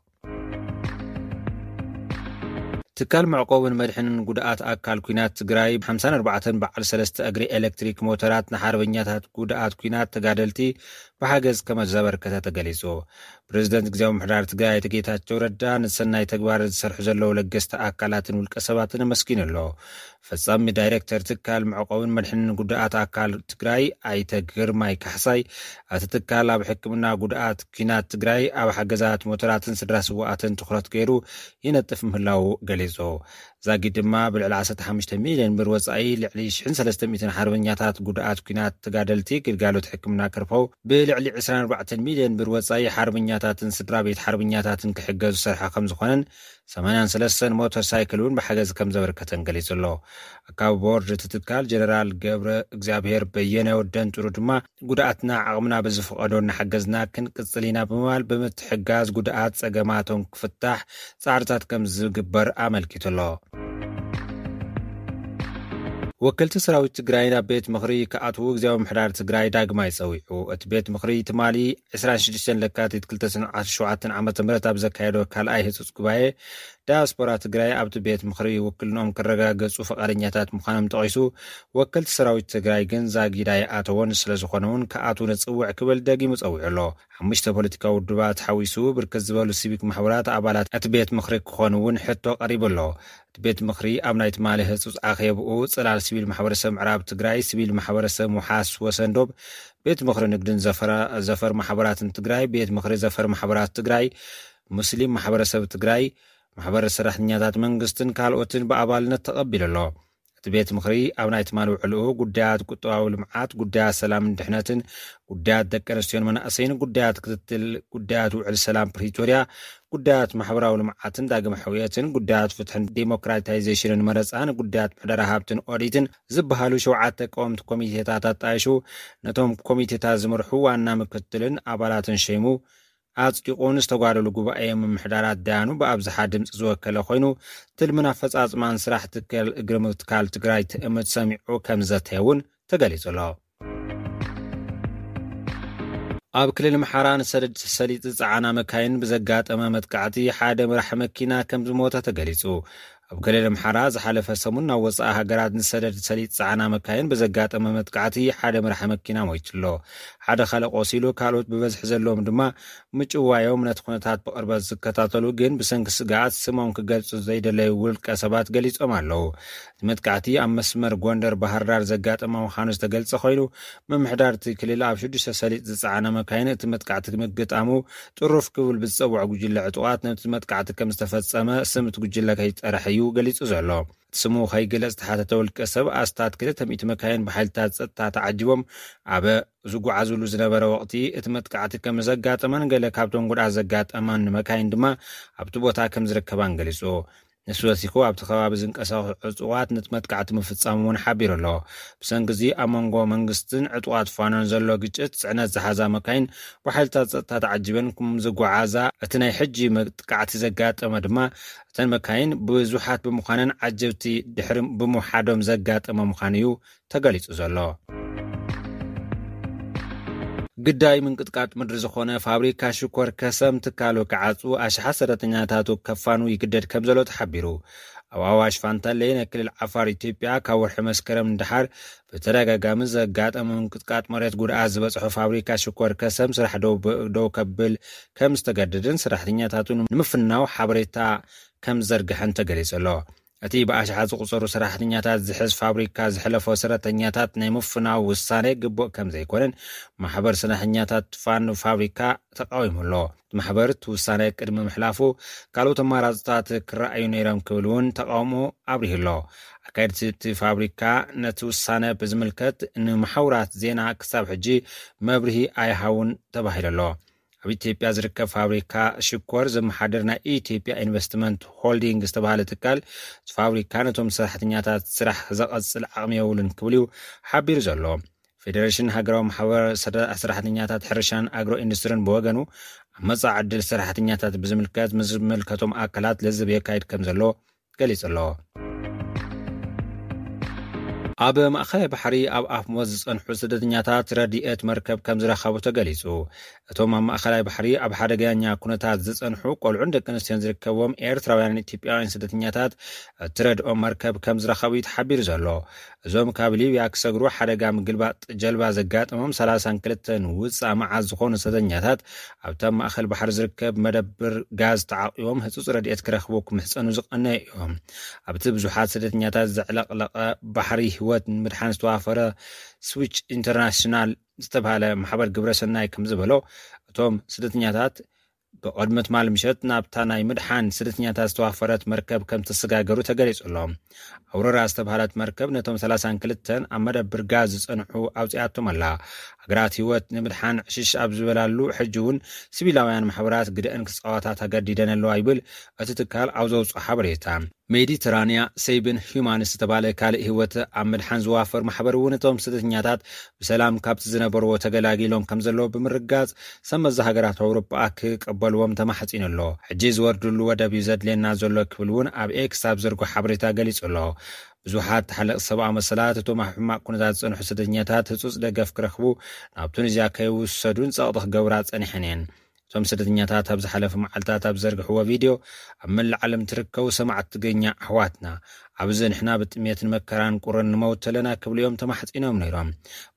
ትካል መዕቆብን መድሕንን ጉድኣት ኣካል ኲናት ትግራይ ሓምሳን ኣርባዕተን በዓል ሰለስተ እግሪ ኤሌክትሪክ ሞተራት ንሓርበኛታት ጉድኣት ኲናት ተጋደልቲ ብሓገዝ ከም ዘበርከተ ተገሊጹ። ፕሬዚደንት ግዝያዊ ምምሕዳር ትግራይ ኣይተ ጌታቸው ረዳ ንሰናይ ተግባር ዝሰርሑ ዘለዉ ለገስቲ ኣካላትን ውልቀ ሰባትን ኣመስጊኑ ኣሎ። ፈጻሚ ዳይሬክተር ትካል መዕቆብን መድሕንን ጉድኣት ኣካል ትግራይ ኣይተ ግርማይ ካሕሳይ፣ እቲ ትካል ኣብ ሕክምና ጉድኣት ኲናት ትግራይ ኣብ ሓገዛት ሞተራትን ስድራ ስዋኣትን ትኹረት ገይሩ ይነጥፍ ምህላዉ ገሊጹ። ዛጊድ ድማ ብልዕሊ ዓሰርተ ሓሙሽተ ሚልዮን ብር ወጻኢ ልዕሊ ሽሕን ሰለስተ ሚእትን ሓርበኛታት ጉድኣት ኲናት ተጋደልቲ ግልጋሎት ሕክምና ክረኽቡ፣ ብልዕሊ ዕስራን ኣርባዕተን ሚልዮን ብር ወጻኢ ሓርበኛታትን ስድራ ቤት ሓርበኛታትን ክሕገዙ ዝሰርሐ ከም ዝኾነን ሰማንያን ሰለስተን ሞተር ሳይክል እውን ብሓገዝ ከም ዘበርከተን ገሊጹ ኣሎ። ኣካቢ ቦርድ እቲ ትካል ጀነራል ገብረ እግዚኣብሔር በየነ ወደንጥሩ ድማ ጉድኣትና ዓቕምና ብዝፍቐዶ እናሓገዝና ክንቅጽል ኢና ብምባል ብምትሕጋዝ ጉድኣት ጸገማቶም ክፍታሕ ጻዕርታት ከም ዝግበር ኣመልኪቱ ኣሎ። ወከልቲ ሰራዊት ትግራይ ናብ ቤት ምኽሪ ክኣትዉ ግዝያዊ ምምሕዳር ትግራይ ዳግማይ ጸዊዑ። እቲ ቤት ምኽሪ ትማሊ ዕስራን ሽዱሽተን ለካቲት ክልተ ሽሕን ዓሰርተ ሸውዓተን ዓመተ ምህረት ኣብ ዘካየዶ ካልኣይ ህጹጽ ጉባኤ ዳያስፖራ ትግራይ ኣብቲ ቤት ምኽሪ ውክልንኦም ክረጋገጹ ፈቓደኛታት ምዃኖም ጠቒሱ፣ ወከልቲ ሰራዊት ትግራይ ግን ዛጊድ ኣይኣተወን፣ ስለ ዝኾነ እውን ክኣትዉ ንጽውዕ ክብል ደጊሙ ጸዊዑ ኣሎ። ሓሙሽተ ፖለቲካዊ ውድባት ሓዊሱ ብርክት ዝበሉ ሲቪክ ማሕበራት ኣባላት እቲ ቤት ምኽሪ ክኾኑ እውን ሕቶ ቀሪቡ ኣሎ። እቲ ቤት ምኽሪ ኣብ ናይ ትማሊ ህጹጽ ኣኼብኡ ጽላል ሲቪል ማሕበረሰብ ምዕራብ ትግራይ፣ ሲቪል ማሕበረሰብ ውሓስ ወሰን ዶብ፣ ቤት ምኽሪ ንግድን ዘፈራ-፣ ዘፈር ማሕበራትን ትግራይ፣ ቤት ምኽሪ ዘፈር ማሕበራት ትግራይ፣ ሙስሊም ማሕበረሰብ ትግራይ፣ ማሕበር ሰራሕተኛታት መንግስትን ካልኦትን ብኣባልነት ተቐቢሉ ኣሎ። እቲ ቤት ምኽሪ ኣብ ናይ ትማሊ ውዕልኡ ጉዳያት ቁጠባዊ ልምዓት፣ ጉዳያት ሰላምን ድሕነትን፣ ጉዳያት ደቂ ኣንስትዮን መናእሰይን፣ ጉዳያት ክትትል ጉዳያት ውዕል ሰላም ፕሪቶርያ፣ ጉዳያት ማሕበራዊ ልምዓትን ዳግመ ሕውየትን፣ ጉዳያት ፍትሕን ዲሞክራታይዜሽንን መረፃን፣ ጉዳያት ምሕደራ ሃብትን ኦዲትን ዝበሃሉ ሸውዓተ ቀወምቲ ኮሚቴታት ኣጣይሹ ነቶም ኮሚቴታት ዝመርሑ ዋና ምክትልን ኣባላትን ሸይሙ ኣጽዲቑ ንዝተጓደሉ ጉባኤ ምምሕዳራት ደያኑ ብኣብዝሓ ድምፂ ዝወከለ ኮይኑ፣ ትልምን ኣፈፃፅማን ስራሕ ትካል እግሪ ምትካል ትግራይ ትእምት ሰሚዑ ከም ዘተየ እውን ተገሊጹ ኣሎ። ኣብ ክልል ኣምሓራ ንሰደድ ሰሊጥ ዝጸዓና መካይን ብዘጋጠመ መጥቃዕቲ ሓደ መራሕ መኪና ከም ዝሞተ ተገሊጹ። ኣብ ክልል ኣምሓራ ዝሓለፈ ሰሙን ናብ ወጻኢ ሃገራት ንሰደድ ሰሊጥ ዝጸዓና መካይን ብዘጋጠመ መጥቃዕቲ ሓደ መራሕ መኪና ሞይቱ ኣሎ። ሓደ ካልእ ቆሲሉ፣ ካልኦት ብበዝሒ ዘለዎም ድማ ምጭዋዮም ነቲ ኩነታት ብቕርበት ዝከታተሉ ግን ብሰንኪ ስግኣት ስሞም ክገልጹ ዘይደለዩ ውልቀ ሰባት ገሊጾም ኣለዉ። እቲ መጥቃዕቲ ኣብ መስመር ጎንደር ባህርዳር ዘጋጠመ ምዃኑ ዝተገልጸ ኮይኑ፣ ምምሕዳር እቲ ክልል ኣብ ሽዱሽተ ሰሊጥ ዝጸዓና መካይን እቲ መጥቃዕቲ ምግጣሙ ጥሩፍ ክብል ብዝጸውዖ ጉጅለ ዕጡቓት ነቲ መጥቃዕቲ ከም ዝተፈጸመ ስም እቲ ጉጅለ ከይጠርሕ እዩ ገሊጹ ዘሎ። እቲ ስሙ ከይግለጽ ዝተሓተተ ውልቀ ሰብ ኣስታት ክልተ ሚእቲ መካይን ብሓይልታት ጸጥታ ተዓጂቦም ኣብ ዝጓዓዙሉ ዝነበረ ወቕቲ እቲ መጥቃዕቲ ከም ዘጋጠመን ገለ ካብቶም ጉድኣት ዘጋጠመን መካይን ድማ ኣብቲ ቦታ ከም ዝርከባን ገሊጹ። ንሱ ወሲኹ ኣብቲ ከባቢ ዝንቀሳቐሱ ዕጡቓት ነቲ መጥቃዕቲ ምፍጻሞም እውን ሓቢሩ ኣሎ። ብሰንኪ እዚ ኣብ መንጎ መንግስትን ዕጡቓት ፋኖን ዘሎ ግጭት ጽዕነት ዝሓዛ መካይን ብሓይልታት ጸጥታ ተዓጂበን ከም ዝጓዓዛ፣ እቲ ናይ ሕጂ መጥቃዕቲ ዘጋጠመ ድማ እተን መካይን ብዙሓት ብምዃነን ዓጀብቲ ድሕሪ ብምውሓዶም ዘጋጠመ ምዃኑ እዩ ተገሊጹ ዘሎ። ግዳይ ምንቅጥቃጥ ምድሪ ዝኾነ ፋብሪካ ሽኮር ከሰም ትካሉ ክዓጹ ኣሽሓት ሰራሕተኛታቱ ከፋኑ ይግደድ ከም ዘሎ ተሓቢሩ። ኣብ ኣዋሽ ፋንታሌ ናይ ክልል ዓፋር ኢትዮጵያ ካብ ወርሒ መስከረም ንደሓር ብተደጋጋሚ ዘጋጠመ ምንቅጥቃጥ መሬት ጉድኣት ዝበጽሖ ፋብሪካ ሽኮር ከሰም ስራሕ ደው ብ-፣ ደው ከብል ከም ዝተገደደን ሰራሕተኛታቱ ንምፍናው ሓበሬታ ከም ዘርግሐን ተገሊጹ ኣሎ። እቲ ብኣሽሓት ዝቑጸሩ ሰራሕተኛታት ዝሕዝ ፋብሪካ ዝሕለፎ ሰራሕተኛታት ናይ ምፍናው ውሳኔ ግቡእ ከም ዘይኮነን ማሕበር ሰራሕተኛታት ፋን ፋብሪካ ተቃዊሙ ኣሎ። እቲ ማሕበር እቲ ውሳኔ ቅድሚ ምሕላፉ ካልኦት ኣማራፅታት ክረኣዩ ነይሮም ክብል እውን ተቃውሞ ኣብሪሁ ኣሎ። ኣካየድቲ እቲ ፋብሪካ ነቲ ውሳኔ ብዝምልከት ንመሓውራት ዜና ክሳብ ሕጂ መብርሂ ኣይሃውን ተባሂሉ ኣሎ። ኣብ ኢትዮጵያ ዝርከብ ፋብሪካ ሽኮር ዘመሓድር ናይ ኢትዮጵያ ኢንቨስትመንት ሆልዲንግ ዝተባሃለ ትካል፣ እቲ ፋብሪካ ነቶም ሰራሕተኛታት ስራሕ ዘቐጽል ዓቕሚ የብሉን ክብል እዩ ሓቢሩ ዘሎ። ፌደሬሽን ሃገራዊ ማሕበር ሰደ-፣ ሰራሕተኛታት ሕርሻን ኣግሮ ኢንዱስትሪን ብወገኑ፣ ኣብ መጻኢ ዕድል ሰራሕተኛታት ብዝምልከት ምስ ዝምልከቶም ኣካላት ለዝብ የካይድ ከም ዘሎ ገሊጹ ኣሎ። ኣብ ማእኸላይ ባሕሪ ኣብ ኣፍ ሞት ዝጸንሑ ስደተኛታት ረድኤት መርከብ ከም ዝረኸቡ ተገሊጹ። እቶም ኣብ ማእኸላይ ባሕሪ ኣብ ሓደገኛ ኩነታት ዝጸንሑ ቆልዑን ደቂ ኣንስትዮን ዝርከብዎም ኤርትራውያንን ኢትዮጵያውያን ስደተኛታት እትረድኦም መርከብ ከም ዝረኸቡ እዩ ተሓቢሩ ዘሎ። እዞም ካብ ሊብያ ክሰግሩ ሓደጋ ምግልባጥ ጀልባ ዘጋጠሞም ሰላሳን ክልተን ውጻእ መዓት ዝኾኑ ስደተኛታት ኣብታ ማእኸል ባሕሪ ዝርከብ መደብር ጋዝ ተዓቂቦም ህጹጽ ረድኤት ክረኽቡ ክምሕጸኑ ዝቐነዩ እዮም። ኣብቲ ብዙሓት ስደተኛታት ዘዕለቕለቐ ባሕሪ ህይወት ንምድሓን ዝተዋፈረ ስዊች ኢንተርናሽናል ዝተባሃለ ማሕበር ግብረሰናይ ከም ዝበሎ፣ እቶም ስደተኛታት ብቕድሚ ትማል ምሸት ናብታ ናይ ምድሓን ስደተኛታት ዝተዋፈረት መርከብ ከም ተሰጋገሩ ተገሊጹ ኣሎ። ኣውሮራ ዝተባሃለት መርከብ ነቶም ሰላሳን ክልተን ኣብ መደብር ጋዝ ዝጸንሑ ኣውጺኣቶም ኣላ። ሃገራት ህይወት ንምድሓን ዕሽሽ ኣብ ዝበላሉ፣ ሕጂ እውን ሲቪላውያን ማሕበራት ግደአን ክጻወታ ተገዲደን ኣለዋ ይብል እቲ ትካል ኣብ ዘውጽኦ ሓበሬታ። ሜዲተራንያ ሴቭን ሂዩማንስ ዝተባለ ካልእ ህይወት ኣብ ምድሓን ዝዋፈር ማሕበር እውን እቶም ስደተኛታት ብሰላም ካብቲ ዝነበርዎ ተገላጊሎም ከም ዘለዉ ብምርጋጽ፣ ሰብ መዚ ሃገራት ኣውሮጳ ክቀበልዎም ተማሕጺኑ ኣሎ። ሕጂ ዝወርድሉ ወደብ እዩ ዘድልየና ዘሎ ክብል እውን ኣብ ኤክስ ኣብ ዘርጎ ሓበሬታ ገሊጹ ኣሎ። ብዙሓት ተሓለቕቲ ሰብኣዊ መሰላት እቶም ኣብ ሕማቕ ኩነታት ዝጸንሑ ስደተኛታት ህጹጽ ደገፍ ክረኽቡ ናብ ቱኒዝያ ከይውሰዱን ጸቕጢ ክገብራ ጸኒሐን እየን። እቶም ስደተኛታት ኣብ ዝሓለፈ መዓልታት ኣብ ዘርግሕዎ ቪድዮ፣ ኣብ መላእ ዓለም ትርከቡ ሰማዕቲ ትግርኛ ኣሕዋትና፣ ኣብዚ ንሕና ብጥሜትን መከራን ቁርን ንመውት ኣለና ክብሉ እዮም ተማሕጺኖም ነይሮም።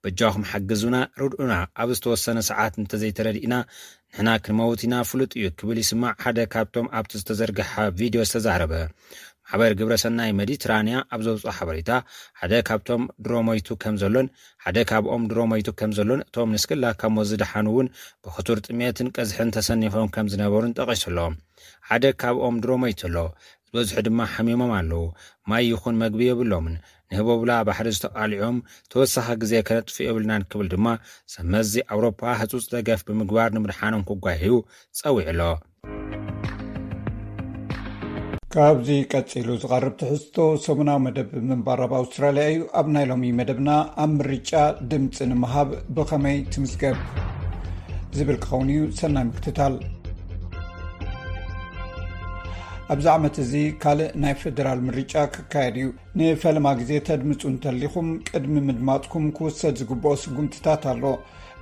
በጃኹም ሓግዙና፣ ርድኡና፣ ኣብ ዝተወሰነ ሰዓት እንተዘይተረዲእና ንሕና ክንመውት ኢና፣ ፍሉጥ እዩ ክብል ይስማዕ ሓደ ካብቶም ኣብቲ ዝተዘርግሐ ቪድዮ ዝተዛረበ። ማሕበር ግብረሰናይ ሜዲትራንያ ኣብ ዘውፅኦ ሓበሬታ፣ ሓደ ካብቶም ድሮ ሞይቱ ከም ዘሎን ሓደ ካብኦም ድሮ ሞይቱ ከም ዘሎን እቶም ንስክላ ካብ ሞት ዝደሓኑ እውን ብክቱር ጥሜትን ቀዝሕን ተሰኒፎም ከም ዝነበሩን ጠቒሱ ኣሎ። ሓደ ካብኦም ድሮ ሞይቱ ኣሎ፣ ዝበዝሑ ድማ ሓሚሞም ኣለዉ። ማይ ይኹን መግቢ የብሎምን። ንህቦብላ ባሕሪ ዝተቓልዖም ተወሳኺ ግዜ ከነጥፍእ የብልናን ክብል ድማ ሰብ መዚ ኣውሮፓ ህጹጽ ደገፍ ብምግባር ንምድሓኖም ክጓየዩ ጸዊዑ ኣሎ። ካብዚ ቀጺሉ ዝቐርብ ትሕዝቶ ሰሙናዊ መደብ ምንባር ኣብ ኣውስትራልያ እዩ። ኣብ ናይ ሎሚ መደብና ኣብ ምርጫ ድምጺ ንምሃብ ብኸመይ ትምዝገብ ዝብል ክኸውን እዩ። ሰናይ ምክትታል። ኣብዚ ዓመት እዚ ካልእ ናይ ፌደራል ምርጫ ክካየድ እዩ። ንፈለማ ግዜ ተድምጹ እንተሊኹም ቅድሚ ምድማጽኩም ክውሰድ ዝግብኦ ስጉምትታት ኣሎ።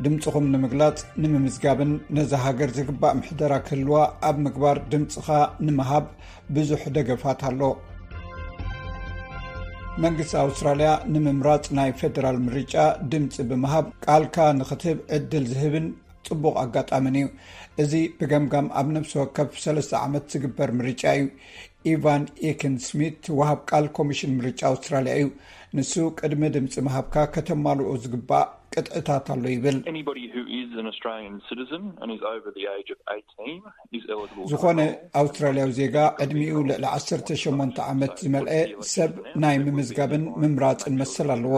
ድምጽኹም ንምግላጽ፣ ንምምዝጋብን ነዛ ሃገር ዝግባእ ምሕደራ ክህልዋ ኣብ ምግባር ድምጽኻ ንምሃብ ብዙሕ ደገፋት ኣሎ። መንግስቲ ኣውስትራልያ ንምምራጽ ናይ ፌደራል ምርጫ ድምጺ ብምሃብ ቃልካ ንኽትህብ ዕድል ዝህብን ጽቡቕ ኣጋጣምን እዩ። እዚ ብገምጋም ኣብ ነፍሲ ወከፍ ሰለስተ ዓመት ዝግበር ምርጫ እዩ። ኢቫን ኤክን ስሚት ወሃብ ቃል ኮሚሽን ምርጫ ኣውስትራልያ እዩ። ንሱ ቅድሚ ድምጺ ምሃብካ ከተማልኦ ዝግባእ ቅጥዕታት ኣሎ ይብል። Anybody who is an Australian citizen and is over the age of eighteen is eligible for ዝኾነ the role. ኣውስትራልያዊ ዜጋ ዕድሚኡ ልዕሊ ዓሰርተ ሸሞንተ ዓመት ዝመልአ ሰብ ናይ ምምዝጋብን ምምራጽን መሰል ኣለዎ።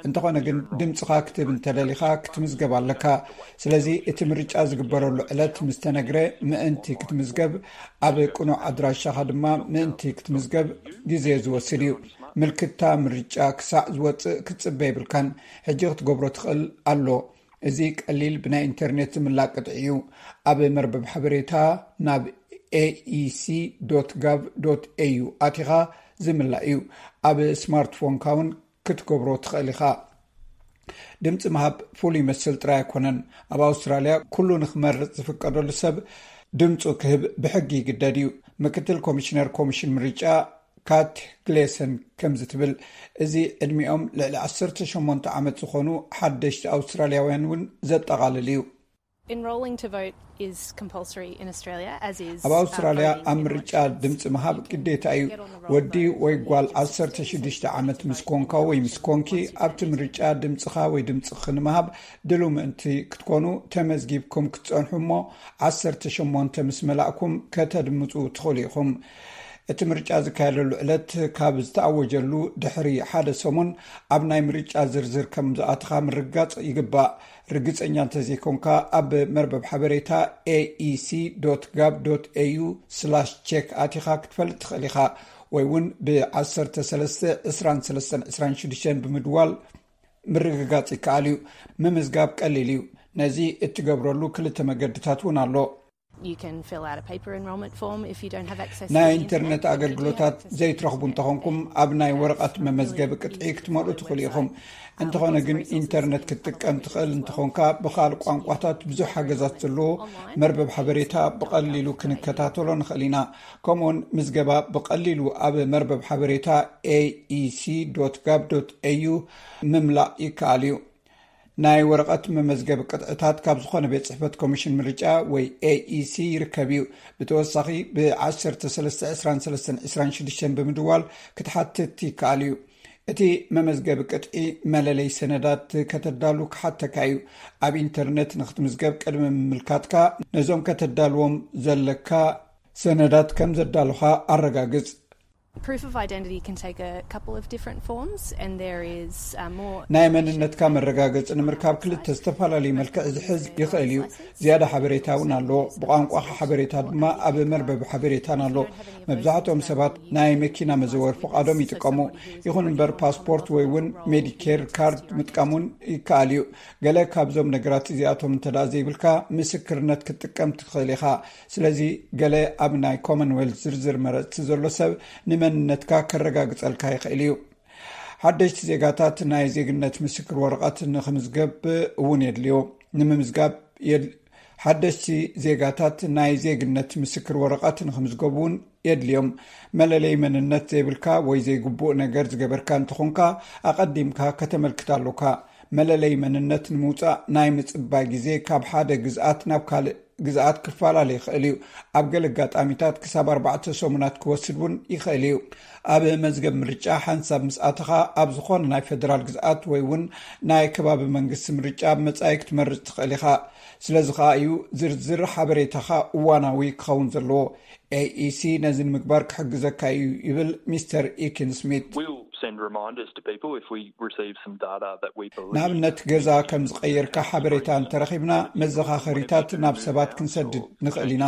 እንተኾነ ግን ድምጽኻ ክትህብ እንተደሊኻ ክትምዝገብ ኣለካ። ስለዚ እቲ ምርጫ ዝግበረሉ ዕለት ምስ ተነግረ ምእንቲ ክትምዝገብ፣ ኣብ ቅኑዕ ኣድራሻኻ ድማ ምእንቲ ክትምዝገብ ግዜ ዝወስድ እዩ። ምልክታ ምርጫ ክሳዕ ዝወጽእ ክትጽበ የብልካን። ሕጂ ክትገብሮ ትኽእል ኣሎ። እዚ ቀሊል ብናይ ኢንተርኔት ዝምላእ ቅጥዒ እዩ። ኣብ መርበብ ሓበሬታ ናብ ኤኢሲ ዶት ጋቭ ዶት ኤዩ ኣቲኻ ዝምላእ እዩ። ኣብ ስማርትፎንካ እውን ክትገብሮ ትኽእል ኢኻ። ድምፂ ምሃብ ፍሉይ መስል ጥራይ ኣይኮነን። ኣብ ኣውስትራልያ ኩሉ ንክመርፅ ዝፍቀደሉ ሰብ ድምፁ ክህብ ብሕጊ ይግደድ እዩ። ምክትል ኮሚሽነር ኮሚሽን ምርጫ ካት ግሌሰን ከምዚ ትብል፣ እዚ ዕድሚኦም ልዕሊ ዓሰርተ ሸሞንተ ዓመት ዝኾኑ ሓደሽቲ ኣውስትራልያውያን እውን ዘጠቓልል እዩ። Enrolling to vote is compulsory in Australia, as is ኣብ ኣውስትራልያ ኣብ ምርጫ ድምፂ ምሃብ ግዴታ እዩ። ወዲ ወይ ጓል ዓሰርተ ሽዱሽተ ዓመት ምስ ኮንካ ወይ ምስ ኮንኪ ኣብቲ ምርጫ ድምፅኻ ወይ ድምፅኺ ንምሃብ ድሉ ምእንቲ ክትኮኑ ተመዝጊብኩም ክትፀንሑ እሞ ዓሰርተ ሸሞንተ ምስ መላእኩም ከተድምፁ ትኽእሉ ኢኹም። እቲ ምርጫ ዝካየደሉ ዕለት ካብ ዝተኣወጀሉ ድሕሪ ሓደ ሰሙን ኣብ ናይ ምርጫ ዝርዝር ከም ዝኣትኻ ምርጋፅ ይግባእ። ርግፀኛ እንተዘይኮንካ ኣብ መርበብ ሓበሬታ ኤኢሲ ዶት ጋቭ ዶት ኤዩ ስላሽ ቼክ ኣቲኻ ክትፈልጥ ትኽእል ኢኻ፣ ወይ እውን ብ ዓሰርተ ሰለስተ ዕስራን ሰለስተን ዕስራን ሽዱሽተን ብምድዋል ምርግጋፅ ይከኣል እዩ። ምምዝጋብ ቀሊል እዩ። ነዚ እትገብረሉ ክልተ መገድታት እውን ኣሎ። You can fill out a paper enrolment form if you don't have access ናይ ኢንተርነት ኣገልግሎታት ዘይትረኽቡ እንተኾንኩም ኣብ ናይ ወረቐት መመዝገቢ ቅጥዒ ክትመልኡ ትኽእሉ ኢኹም። እንተኾነ ግን ኢንተርነት ክትጥቀም ትኽእል እንተኾንካ ብኻል ቋንቋታት ብዙሕ ሓገዛት ዘለዎ መርበብ ሓበሬታ ብቐሊሉ ክንከታተሎ ንኽእል ኢና። ከምኡውን ምዝገባ ብቐሊሉ ኣብ መርበብ ሓበሬታ ኤኢሲ ዶት ጋቭ ዶት ኤዩ ምምላእ ይከኣል እዩ። ናይ ወረቐት መመዝገቢ ቅጥዕታት ካብ ዝኾነ ቤት ጽሕፈት ኮሚሽን ምርጫ ወይ ኤኢሲ ይርከብ እዩ። ብተወሳኺ ብ ዓሰርተ ሰለስተ ዕስራን ሰለስተን ዕስራን ሽዱሽተን ብምድዋል ክትሓትት ይከኣል እዩ። እቲ መመዝገቢ ቅጥዒ መለለይ ሰነዳት ከተዳሉ ክሓተካ እዩ። ኣብ ኢንተርነት ንክትምዝገብ ቅድሚ ምምልካትካ ነዞም ከተዳልዎም ዘለካ ሰነዳት ከም ዘዳሉኻ ኣረጋግጽ። Proof of identity can take a couple of different forms, and there is uh, more ናይ መንነትካ መረጋገፂ ንምርካብ ክልተ ዝተፈላለዩ መልክዕ ዝሕዝ ይኽእል እዩ። ዝያዳ ሓበሬታ እውን ኣሎ። ብቋንቋኻ ሓበሬታ ድማ ኣብ መርበብ ሓበሬታን ኣሎ። መብዛሕትኦም ሰባት ናይ መኪና መዘወር ፍቓዶም ይጥቀሙ። ይኹን እምበር ፓስፖርት ወይ እውን ሜዲኬር ካርድ ምጥቃም እውን ይከኣል እዩ። ገለ ካብዞም ነገራት እዚኣቶም እንተ ዘይብልካ ምስክርነት ክትጥቀም ትኽእል ኢኻ። ስለዚ ገለ ኣብ ናይ ኮመንዌልት ዝርዝር መረፅቲ ዘሎ ሰብ ንመንነትካ ከረጋግፀልካ ይኽእል እዩ። ሓደሽቲ ዜጋታት ናይ ዜግነት ምስክር ወረቐት ንክምዝገብ እውን የድልዮ። ንምምዝጋብ ሓደሽቲ ዜጋታት ናይ ዜግነት ምስክር ወረቐት ንክምዝገቡ እውን የድልዮም። መለለይ መንነት ዘይብልካ ወይ ዘይግቡእ ነገር ዝገበርካ እንተኾንካ ኣቐዲምካ ከተመልክት ኣሎካ። መለለይ መንነት ንምውፃእ ናይ ምፅባይ ግዜ ካብ ሓደ ግዝኣት ናብ ካልእ ግዝኣት ክፈላለ ይኽእል እዩ። ኣብ ገለ ኣጋጣሚታት ክሳብ ኣርባዕተ ሰሙናት ክወስድ እውን ይኽእል እዩ። ኣብ መዝገብ ምርጫ ሓንሳብ ምስ ኣተኻ ኣብ ዝኾነ ናይ ፌደራል ግዝኣት ወይ እውን ናይ ከባቢ መንግስቲ ምርጫ መጻኢ ክትመርጽ ትኽእል ኢኻ። ስለዚ ኸኣ እዩ ዝርዝር ሓበሬታኻ እዋናዊ ክኸውን ዘለዎ። ኤኢሲ ነዚ ንምግባር ክሕግዘካ እዩ ይብል ሚስተር ኢኪን ስሚት። We'll send reminders to people if we receive some data that we believe ንኣብነት ገዛ ከም ዝቐየርካ ሓበሬታ እንተረኺብና መዘኻኸሪታት ናብ ሰባት ክንሰድድ ንኽእል ኢና።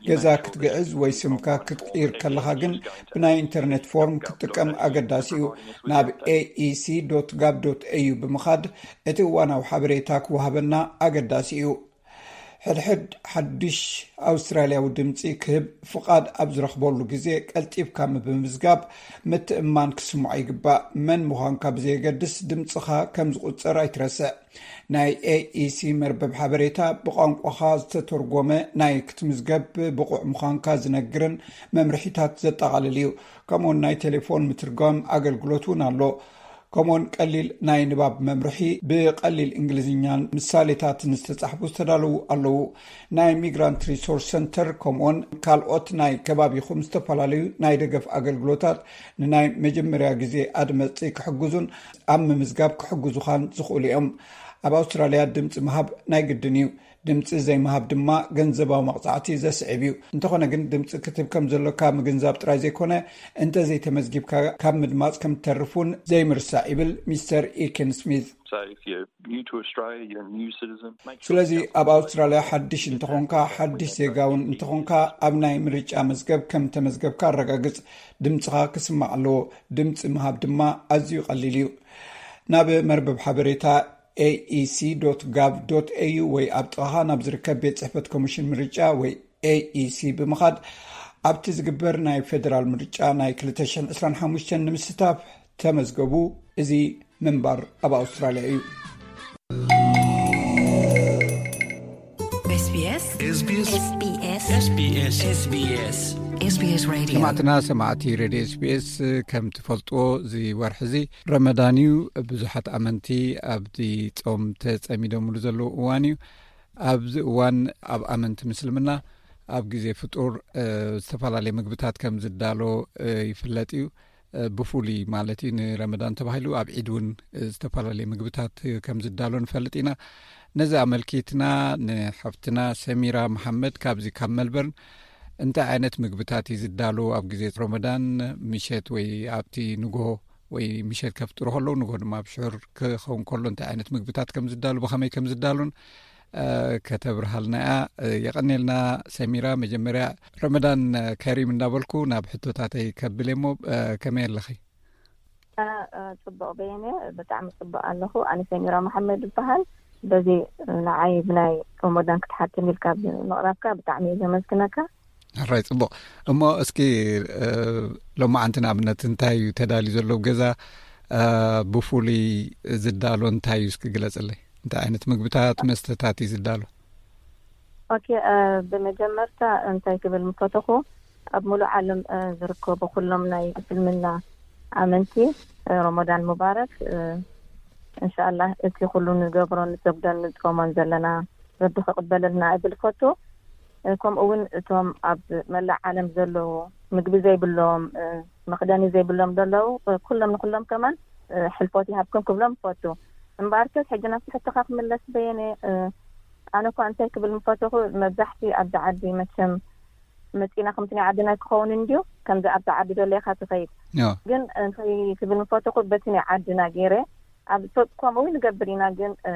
ገዛ ክትግዕዝ ወይ ስምካ ክትቅይር ከለኻ ግን ብናይ ኢንተርኔት ፎርም ክትጥቀም ኣገዳሲ እዩ። ናብ ኤኢሲ ዶት ጋቭ ዶት ኤዩ ብምኻድ እቲ እዋናዊ ሓበሬታ ክወሃበና ኣገዳሲ እዩ። ሕድሕድ ሓድሽ ኣውስትራልያዊ ድምፂ ክህብ ፍቓድ ኣብ ዝረኽበሉ ግዜ ቀልጢፍካ ብምምዝጋብ ምትእምማን ክስምዖ ይግባእ። መን ምዃንካ ብዘየገድስ ድምፅኻ ከም ዝቑፀር ኣይትረስዕ። ናይ ኤኢሲ መርበብ ሓበሬታ ብቋንቋኻ ዝተተርጎመ ናይ ክትምዝገብ ብቑዕ ምዃንካ ዝነግርን መምርሒታት ዘጠቓልል እዩ። ከምኡውን ናይ ቴሌፎን ምትርጓም ኣገልግሎት እውን ኣሎ። ከምኡውን ቀሊል ናይ ንባብ መምርሒ ብቀሊል እንግሊዝኛን ምሳሌታትን ዝተጻሕፉ ዝተዳለዉ ኣለዉ። ናይ ሚግራንት ሪሶርስ ሰንተር ከምኡውን ካልኦት ናይ ከባቢኹም ዝተፈላለዩ ናይ ደገፍ ኣገልግሎታት ንናይ መጀመርያ ግዜ ኣድመፅቲ ክሕግዙን ኣብ ምምዝጋብ ክሕግዙኻን ዝኽእሉ እዮም። ኣብ ኣውስትራልያ ድምፂ ምሃብ ናይ ግድን እዩ። ድምፂ ዘይምሃብ ድማ ገንዘባዊ መቕፃዕቲ ዘስዕብ እዩ። እንተኾነ ግን ድምፂ ክትህብ ከም ዘሎካ ምግንዛብ ጥራይ ዘይኮነ እንተዘይተመዝጊብካ ካብ ምድማፅ ከም ትተርፍ እውን ዘይምርሳዕ ይብል ሚስተር ኢኪን ስሚት። So if you're new to Australia, you're a new citizen, make sure ስለዚ ኣብ ኣውስትራልያ ሓድሽ እንተኾንካ ሓድሽ ዜጋ እውን እንተኾንካ ኣብ ናይ ምርጫ መዝገብ ከም ተመዝገብካ ኣረጋግፅ። ድምፅኻ ክስማዕ ኣለዎ። ድምፂ ምሃብ ድማ ኣዝዩ ቀሊል እዩ። ናብ መርበብ ሓበሬታ ኤኢሲ ዶት ጋቭ ዶት ኤዩ ወይ ኣብ ጥቓኻ ናብ ዝርከብ ቤት ጽሕፈት ኮሚሽን ምርጫ ወይ ኤኢሲ ብምኻድ ኣብቲ ዝግበር ናይ ፌደራል ምርጫ ናይ ክልተ ሽሕን ዕስራን ሓሙሽተን ንምስታፍ ተመዝገቡ። እዚ ምንባር ኣብ ኣውስትራልያ እዩ። SBS SBS SBS Radio. ሰማዕትና ሰማዕቲ ሬድዮ ኤስቢኤስ፣ ከም ትፈልጥዎ እዚ ወርሒ እዚ ረመዳን እዩ። ብዙሓት ኣመንቲ ኣብቲ ጾም ተጸሚዶምሉ ዘለዉ እዋን እዩ። ኣብዚ እዋን ኣብ ኣመንቲ ምስልምና ኣብ ግዜ ፍጡር፣ እ፣ ዝተፈላለየ ምግብታት ከም ዝዳሎ፣ እ፣ ይፍለጥ እዩ። እ፣ ብፍሉይ ማለት እዩ ንረመዳን ተባሂሉ ኣብ ዒድ እውን፣ እ፣ ዝተፈላለየ ምግብታት ከም ዝዳሎ ንፈልጥ ኢና። ነዚ ኣመልኪትና ንሓፍትና ሰሚራ መሓመድ ካብዚ ካብ መልበርን እንታይ ዓይነት ምግብታት እዩ ዝዳሎ ኣብ ግዜ ረመዳን ምሸት ወይ ኣብቲ ንግሆ ወይ ምሸት ከፍጥሩ ከለዉ ንግሆ ድማ ኣብ ሽዑር ክኸውን ከሎ እንታይ ዓይነት ምግብታት ከም ዝዳሉ ብኸመይ ከም ዝዳሉን፣ እ፣ ከተብርሃልና እያ። እ፣ የቐኔልና ሰሚራ። መጀመርያ ረመዳን ከሪም እንዳበልኩ ናብ ሕቶታተይ ከብል እሞ፣ እ፣ ከመይ ኣለኺ? እ፣ እ፣ ጽቡቕ በየነ፣ ብጣዕሚ ጽቡቕ ኣለኹ። ኣነ ሰሚራ መሓመድ ይበሃል። በዚ ንዓይ ብናይ ረመዳን ክትሓትም ኢልካ ብምቕራብካ ብጣዕሚ እየ ዘመስግነካ። ሕራይ ጽቡቕ። እሞ እስኪ፣ እ፣ ሎማዓንቲ ንኣብነት እንታይ እዩ ተዳልዩ ዘሎ ኣብ ገዛ? እ፣ ብፍሉይ ዝዳሎ እንታይ እዩ እስኪ ግለጽለይ? እንታይ ዓይነት ምግብታት፣ መስተታት እዩ ዝዳሎ? ኦኬ፣ እ፣ ብመጀመርታ እንታይ ክብል ምፈተኹ፣ ኣብ ሙሉእ ዓለም፣ እ፣ ዝርከቡ ኩሎም ናይ እስልምና ኣመንቲ፣ እ፣ ረመዳን ሙባረክ። እ፣ እንሻኣላህ እቲ ኩሉ ንገብሮን ንሰግዶን ንጾሞን ዘለና ረቢ ክቕበለልና እብል ፈቱ። እ፣ ከምኡ እውን እቶም ኣብ መላእ ዓለም ዘለዉ ምግቢ ዘይብሎም፣ እ፣ መኽደኒ ዘይብሎም ዘለዉ፣ እ፣ ኩሎም ንኩሎም ከማን፣ እ፣ ሕልፎት ይሃብኩም ክብሎም ፈቱ። እምበኣርከስ ሕጂ ናብቲ ሕቶኻ ክምለስ በየነ፣ እ፣ ኣነ እኳ እንታይ ክብል ምፈተኹ፣ መብዛሕቲ ኣብዚ ዓዲ መቸም መጺና ከምቲ ናይ ዓድና ክኸውን እንድዩ፣ ከምዚ ኣብቲ ዓዲ ደለኻ ትኸይድ። ዮ። ግን እንታይ ክብል ምፈተኹ፣ በቲ ናይ ዓድና ገይረ፣ ኣብ ሶ-፣ ከምኡ ንገብር ኢና፣ ግን፣ እ፣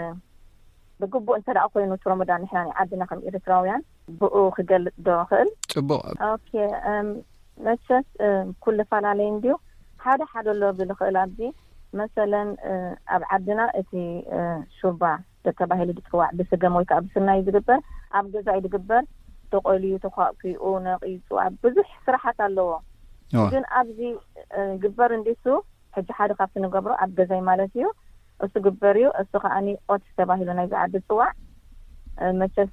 ብግቡእ እንተ ደኣ ኮይኑ እቲ ረመዳን ንሕና ናይ ዓድና ከም ኤርትራውያን ብኡ ክገልጽ ዶ እኽእል? ጽቡቕ። ኦኬ፣ እም፣ መቸስ፣ እ፣ ኩሉ ፈላለየ እንድዩ። ሓደ ሓደ ኣሎ ብል እኽእል ኣብዚ። መሰለን፣ እ፣ ኣብ ዓድና እቲ፣ እ፣ ሹርባ ተባሂሉ ዝጽዋዕ ብስገም ወይ ከኣ ብስርናይ እዩ ዝግበር። ኣብ ገዛ እዩ ዝግበር። ተቆልዩ፣ ተኳእኪኡ፣ ነቒጹ፣ ኣብ ብዙሕ ስራሓት ኣለዎ። እዋ። ግን ኣብዚ፣ እ፣ ግበር እንዲሱ፣ ሕጂ ሓደ ካብቲ ንገብሮ ኣብ ገዛይ ማለት እዩ። እሱ ግበር እዩ። እሱ ከኣኒ ኦትስ ተባሂሉ ናይዚ ዓዲ ዝጽዋዕ፣ እ፣ መቸስ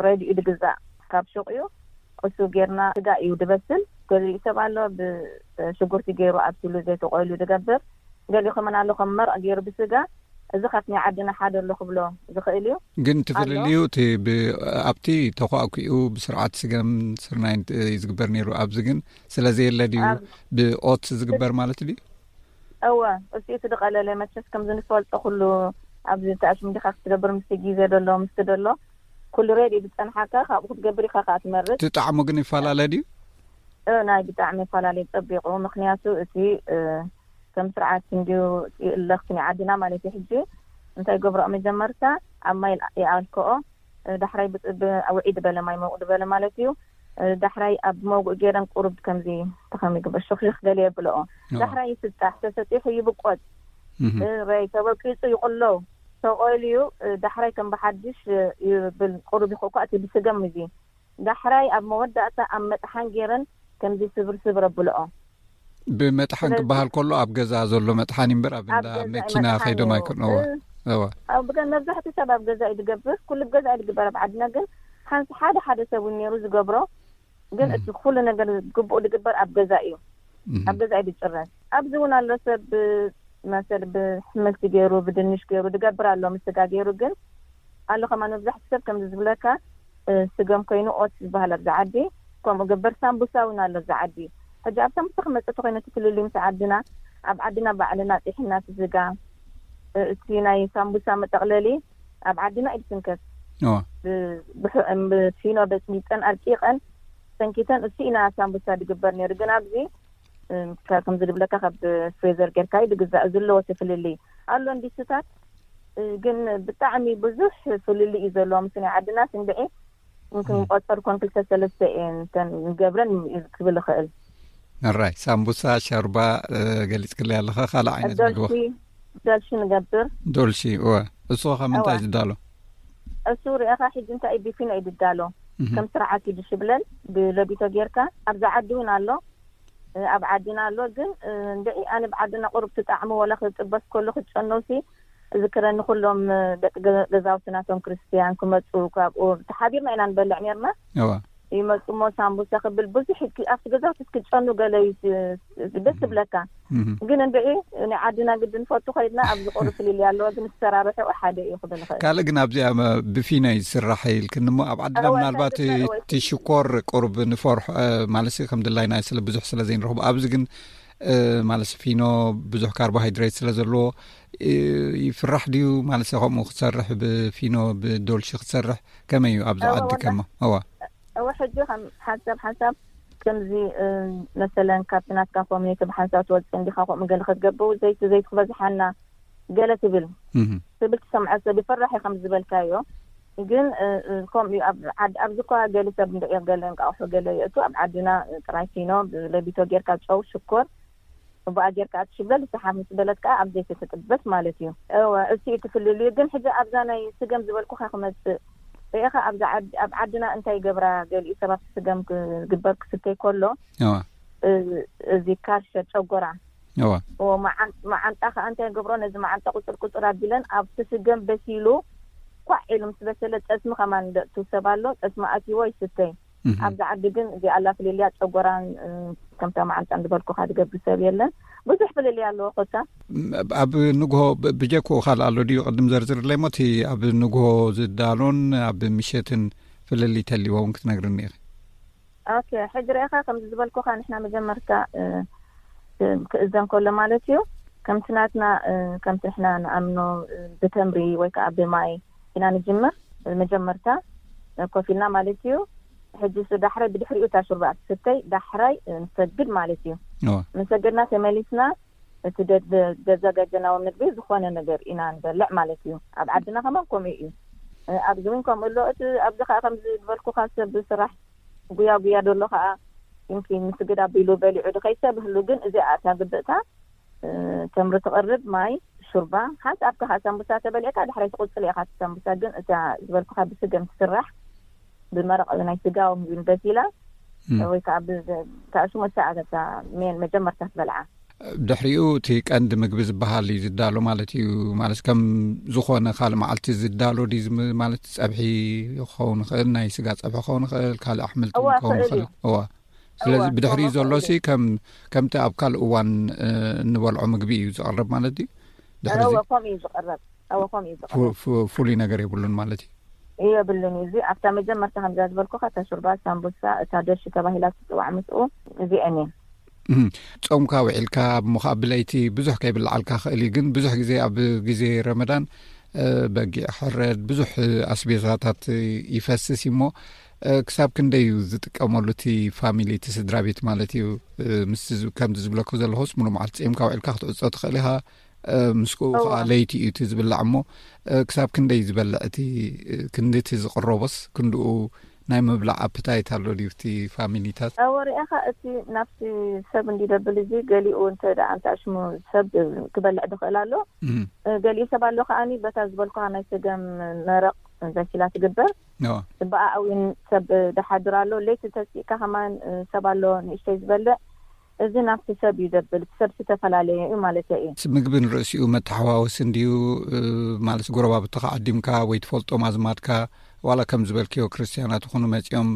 ሬድዩ ዝግዛእ ካብ ሹቕ እዩ። እሱ ጌርና ስጋ እዩ ድበስል። ገሊኡ ሰብ ኣሎ ብሽጉርቲ ገይሩ ኣብሲሉ ዘይተቆልዩ ዝገብር። ገሊኡ ከመን ኣሎ ከም መርቕ ገይሩ ብስጋ። እዚ ካብቲ ናይ ዓድና ሓደ ኣሎ ክብሎ ዝኽእል እዩ። ግን እቲ ኣሎ። ፍልልዩ እቲ ብ-፣ ኣብቲ ተኳእኩኡ ብስርዓት ስገም ስርናይን እዩ ዝግበር ነይሩ። ኣብዚ ግን ስለ ዘየለ ድዩ ኣብ ብኦትስ ዝግበር ማለት ድዩ? እወ፣ እሱ እቲ ዝቐለለ መቸስ ከምዚ ንፈልጦ ኩሉ ኣብዚ ተኣሽም ዲኻ ክትገብር ምስቲ ግዜ ደሎ፣ ምስቲ ደሎ ኩሉ ሬድዩ ዝጸንሓካ ካብኡ ክትገብር ኢኻ ከኣ ትመርጽ። እቲ ጣዕሙ ግን ይፈላለ ድዩ? እ፣ ናይ ብጣዕሚ ይፈላለ ጸቢቑ። ምኽንያቱ እቲ፣ እ፣ ከም ስርዓት እንድዩ ይእለኽ ናይ ዓድና ማለት እዩ። ሕጂ እንታይ ገብረኦ መጀመርታ ኣብ ማይ ይኣልክኦ፣ እ፣ ዳሕራይ ብ-፣ ብ-፣ ውዒ ዝበለ ማይ መውቕ ዝበለ ማለት እዩ። እ፣ ዳሕራይ ኣብ መውግእ ገይረን ቁሩብ ከምዚ ተኸም ይግበር ሽኽሽኽ ገለ የብልኦ። ኦ። ዳሕራይ ይስጣሕ፣ ተሰጢሑ ይብቆጽ። እህ። እ፣ ረይ ተበቂጹ ይቕለው። ተቆልዩ፣ እ፣ ዳሕራይ ከም ብሓድሽ፣ እ፣ ይብል ቁሩብ ይኸኳ እቲ ብስገም እዚ። ዳሕራይ ኣብ መወዳእታ ኣብ መጥሓን ገይረን ከምዚ ስብር ስብር ኣብልኦ። ብመጥሓን ስለዚ ክበሃል ከሎ ኣብ ገዛ ዘሎ መጥሓን እምበር ኣብ ኣብ እንዳ ገዛ መኪና መጥሓን ከይዶም እዩ። ኣይኮን። እወ። እ፣ እወ። ኣብ ገ-፣ መብዛሕትኡ ሰብ ኣብ ገዛ እዩ ዝገብር። ኩሉ ኣብ ገዛ እዩ ዝግበር ኣብ ዓድና፣ ግን ሓንስ ሓደ ሓደ ሰብ እውን ነይሩ ዝገብሮ። ግን እም። እቲ ኩሉ ነገር ግቡእ ዝግበር ኣብ ገዛ እዩ። እም። ኣብ ገዛ እዩ ዝጭረስ። ኣብዚ እውን ኣሎ ሰብ ብ-፣ መሰል ብሕምልቲ ገይሩ፣ ብድንሽ ገይሩ ዝገብር ኣሎ፣ ምስ ስጋ ገይሩ። ግን ኣሎ ከማን መብዛሕትኡ ሰብ ከምዚ ዝብለካ፣ እ፣ ስገም ኮይኑ ኦትስ ዝበሃል ኣብዚ ዓዲ፣ ከምኡ ገበር። ሳምቡሳ እውን ኣሎ ኣብዚ ዓዲ። ሕጂ ኣብ ሳምቡሳ ክመጽእ ተኾይነ እቲ ፍልልይ ምስ ዓድና፣ ኣብ ዓድና ባዕልና ጢሒና እቲ ስጋ፣ እ፣ እቲ ናይ ሳምቡሳ መጠቕለሊ ኣብ ዓድና እዩ ዝስንከት። ኦ። ብ-፣ ብሕ-፣ እም፣ ብፊኖ በጽቢጸን ኣርቂቐን ሰንኪተን እሱ ኢና ሳምቡሳ ዝግበር ነይሩ። ግን ኣብዚ፣ እም፣ ካብ ከምዚ ዝብለካ ካብ ፍሬዘር ጌርካ እዩ ዝግዛእ። እዚ ኣለዎ እቲ ፍልልይ። ኣሎ እንዲስታት፣ እ፣ ግን ብጣዕሚ ብዙሕ ፍልልይ እዩ ዘለዎ። ምስ ናይ ዓድና ስንድዒ እንክንቆጸር ኮን ክልተ ሰለስተ እየን እተን ንገብረን እዩ ክብል ይኽእል። ኣራይ፣ ሳምቡሳ፣ ሸርባ፣ እ፣ ገሊጽክለይ ኣለኻ። ካልእ ዓይነት ምግቢ? ዶልሺ፣ ዶልሺ ንገብር። ዶልሺ፣ እወ። እሱ ኸ ምንታይ እወ። ዝዳሎ? እሱ ርኢኻ ሕጂ እንታይ እዩ ቢፊኖ እዩ ዝዳሎ። እህ። ከም ስርዓት እዩ ዝሽብለል፣ ብለቢቶ ጌርካ። ኣብዚ ዓዲ እውን ኣሎ፣ እ፣ ኣብ ዓድና ኣሎ። ግን፣ እ፣ እንድዒ ኣነ ብዓድና ቁሩብ ትጣዕሙ ወላ ክጥበስ ከሎ ክትጨነውሲ እዝክረኒ ኩሎም ደቂ ገ- ገዛውቲ ናቶም ክርስትያን ክመፁ ካብኡ ተሓቢርና ኢና ንበልዕ ነርና። እዋ ይመፁ ሞ ሳምቡሳ ክብል ብዙሕ ክ- ኣብቲ ገዛውቲ ክትጨኑ ገለ እዩ ስ- ደስ ትብለካ። እህ። ግን እንድዒ ናይ ዓድና ግዲ ንፈቱ ኮይድና ኣብዚ ቁሩብ ፍልልይ ኣለዎ፣ ግን ዝሰራርሕኡ ሓደ እዩ ክብል ይኽእል። ካልእ ግን ኣብዚኣ መ- ብፊኖ እዩ ዝስራሕ ኢልክኒ እሞ ኣብ ዓድና እወ፣ ምናልባት ካልእ ካልእ ወይ እቲ ሽኮር ቁሩብ ንፈርሖ እ፣ ማለት ከም ድላይና ስለ ብዙሕ ስለ ዘይንረኽቦ ኣብዚ ግን እ፣ ማለት ፊኖ ብዙሕ ካርቦሃይድሬት ስለ ዘለዎ እ፣ ይፍራሕ ድዩ ማለት ከምኡ ክትሰርሕ ብፊኖ ብዶልሺ ክትሰርሕ ከመይ እዩ ኣብዚ እወ፣ ዓዲ ወላ- ከማ እዋ እወ ሕጂ ከም ሓንሳብ ሓንሳብ ከምዚ እ፣ መሰለን ካብቲ ናትካ ኮሚኒቲ ብሓንሳብ ትወፅእ እንዲኻ ከምኡ ገለ ክትገብሩ ዘይቲ ዘይቲ ክበዝሓና ገለ ትብል እህ። ትብል ትሰምዖ ሰብ ይፈራሕ እዩ ከም ዝበልካዮ። ግን እ፣ እ፣ ከምኡ እዩ ኣብ ዓድ ኣብዚ እኳ ገለ ሰብ እንድዒ ገለ እንቃቑሑ ገለ የእቱ ኣብ ዓድና ጥራይ ፊኖ ብለቢቶ ጌርካ ጨው ሽኮር ብኣ ጌርካ ትሽብለል ዝሰሓብ ምስ በለት ከዓ ኣብ ዘይቲ ትጥበስ ማለት እዩ። እወ እሱ እዩ ትፍልልዩ። ግን ሕጂ ኣብዛ ናይ ስገም ዝበልኩኻ ክመፅእ ርኢኻ ኣብዛ ዓድ- ኣብ ዓድና እንታይ ይገብራ ገሊኡ ሰባት ስገም ክግበር ክስተይ ከሎ እዋ እ፣ እዚ ካርሸ ጨጎራ እዋ እዎ፣ መዓን- መዓንጣ ከዓ እንታይ ገብሮ ነዚ መዓንጣ ቁፅር ቁፅር ኣቢለን ኣብቲ ስገም በሲሉ ኳዕ ኢሉ ምስ በሰለ ጠስሚ ከማን ደእቱ ሰብ ኣሎ። ጠስሚ ኣትይዎ ይስተይ። እህ። ኣብዚ ዓዲ ግን እዚኣ ኣላ ፍልልያ ጨጎራን እ፣ ከምታ መዓንጣ ዝበልኩካ ዝገብር ሰብ የለን። ብዙሕ ፍልልያ ኣለዎ ኮታ። ም- ኣብ ንግሆ ብ- ብጀክኡ ካልእ ኣሎ ድዩ ቅድም ዘርዝርለይ ሞ እቲ ኣብ ንግሆ ዝዳሎን ኣብ ምሸትን ፍልልይ ተልዎ እውን ክትነግርኒ ኢኺ። ኦኬ ሕጂ ርኢኻ ከምዚ ዝበልኩካ ንሕና መጀመርታ እ፣ እ፣ ክእዘን ከሎ ማለት እዩ። ከምቲ ናትና እ፣ ከምቲ ንሕና ንኣምኖ እ፣ ብተምሪ ወይ ከዓ ብማይ ኢና ንጅምር። መጀመርታ እ፣ ኮፍ ኢልና ማለት እዩ። ሕጂ እሱ ዳሕራይ ብድሕሪኡ እታ ሹርባ ትስተይ ዳሕራይ እ፣ ንሰግድ ማለት እዩ። እዋ መሰገድና ተመሊስና እቲ ደ- ደ- ዘዘጋጀናዎ ምግቢ ዝኾነ ነገር ኢና ንበልዕ ማለት እዩ። ኣብ ዓድና ከማን ከምኡ እዩ። እ፣ ኣብዚ እውን ከምኡ ኣሎ። እቲ ኣብዚ ከዓ ከምዚ ዝበልኩካ ሰብ ስራሕ ጉያ ጉያ ደሎ ከዓ ይምኪን ምስግድ ኣቢሉ በሊዑ ድኸይ ሰብ ህሉ። ግን እዚኣ እታ ግብእታ እ፣ ተምሪ ትቐርብ ማይ ሹርባ ሓንቲ ኣብካ ከዓ ሳምቡሳ ተበሊዕካ ዳሕራይ ትቕፅል ኢኻ። እቲ ሳምቡሳ ግን እታ ዝበልኩካ ብስገም ትስራሕ ብመረቕ ናይ ስጋ ወይ ምግቢ በሲላ እም። ወይ ከዓ ብታእሽሙ እሳ እታ ሜን መጀመርታ ትበልዓ። ድሕሪኡ እቲ ቀንዲ ምግቢ ዝበሃል እዩ ዝዳሎ ማለት እዩ። ማለት ከም ዝኾነ ካልእ መዓልቲ ዝዳሎ ድዩ ዝም- ማለት ጸብሒ ክኸውን ይኽእል፣ ናይ ስጋ ጸብሒ ክኸውን ይኽእል፣ ካልእ ኣሕምልቲ እዋ፣ ክኸውን ይኽእል ይኽእል። እዩ። እዋ ስለዚ እዋ፣ ብድሕሪኡ እዋ፣ ዘሎ ይኽእል ሲ ከም ከምቲ ኣብ ካልእ እዋን እ፣ እንበልዖ ምግቢ እዩ ዝቐርብ ማለት እዩ። ድሕሪ እዚ እወ ከምኡ እዩ ዝቐረብ። እወ ከምኡ እዩ ዝቐረብ። ፉ- ፉ- ፍሉይ ነገር የብሉን ማለት እዩ። የብሉን እዩ። እዚ ኣብታ መጀመርታ ከምዛ ዝበልኩካ እታ ሹርባ ሳምቡሳ እታ ደርሺ ተባሂላ ትፅዋዕ ምስኡ እዚአን እየን። እም፣ ጾምካ ውዒልካ እሞ ከዓ ብለይቲ ብዙሕ ከይብልዓልካ ክእል እዩ። ግን ብዙሕ ግዜ ኣብ ግዜ ረመዳን እ፣ በጊዕ ሕረድ ብዙሕ ኣስቤዛታት ይፈስስ እዩ እሞ እ፣ ክሳብ ክንደይ እዩ ዝጥቀመሉ እቲ ፋሚሊ እቲ ስድራ ቤት ማለት እዩ። እ፣ ምስ ከምዚ ዝብለኩ ዘለኹስ ሙሉ መዓልቲ ፂምካ ውዒልካ ክትዕፆ ትኽእል ኢኻ። እ፣ ምስኡ እዋ። ከዓ ለይቲ እዩ እቲ ዝብላዕ እሞ እ፣ ክሳብ ክንደይ ዝበልዕ እቲ እ፣ ክንዲ እቲ ዝቕረቦስ ክንድኡ ናይ ምብላዕ ኣፕታይት ኣሎ ድዩ እቲ ፋሚሊታት? ወሪእኻ እቲ ናብቲ ሰብ እንዲደብል እዚ ገሊኡ እንተ ደኣ እንተ ኣሽሙ ሰብ ክበልዕ ድኽእል ኣሎ። እም፣ እ፣ ገሊኡ ሰብ ኣሎ ከዓኒ በታ ዝበልኩኻ ናይ ስገም መረቕ በሲላ ትግበር። እዋ። ብኣ እውን ሰብ ደሓድር ኣሎ። ለይቲ ተሲእካ ከማን እ፣ ሰብ ኣሎ ንእሽተይ ዝበልዕ። እዚ ናብቲ ሰብ እዩ ዘብል። እቲ ሰብ ዝተፈላለየ እዩ ማለት እዩ። ምግቢ ንርእሲኡ መተሓዋወሲ እንድዩ እ፣ ማለት ጎረባብትኻ ዓዲምካ ወይ ትፈልጦም ኣዝማድካ ዋላ ከም ዝበልክዮ ክርስትያናት ይኹኑ መፂኦም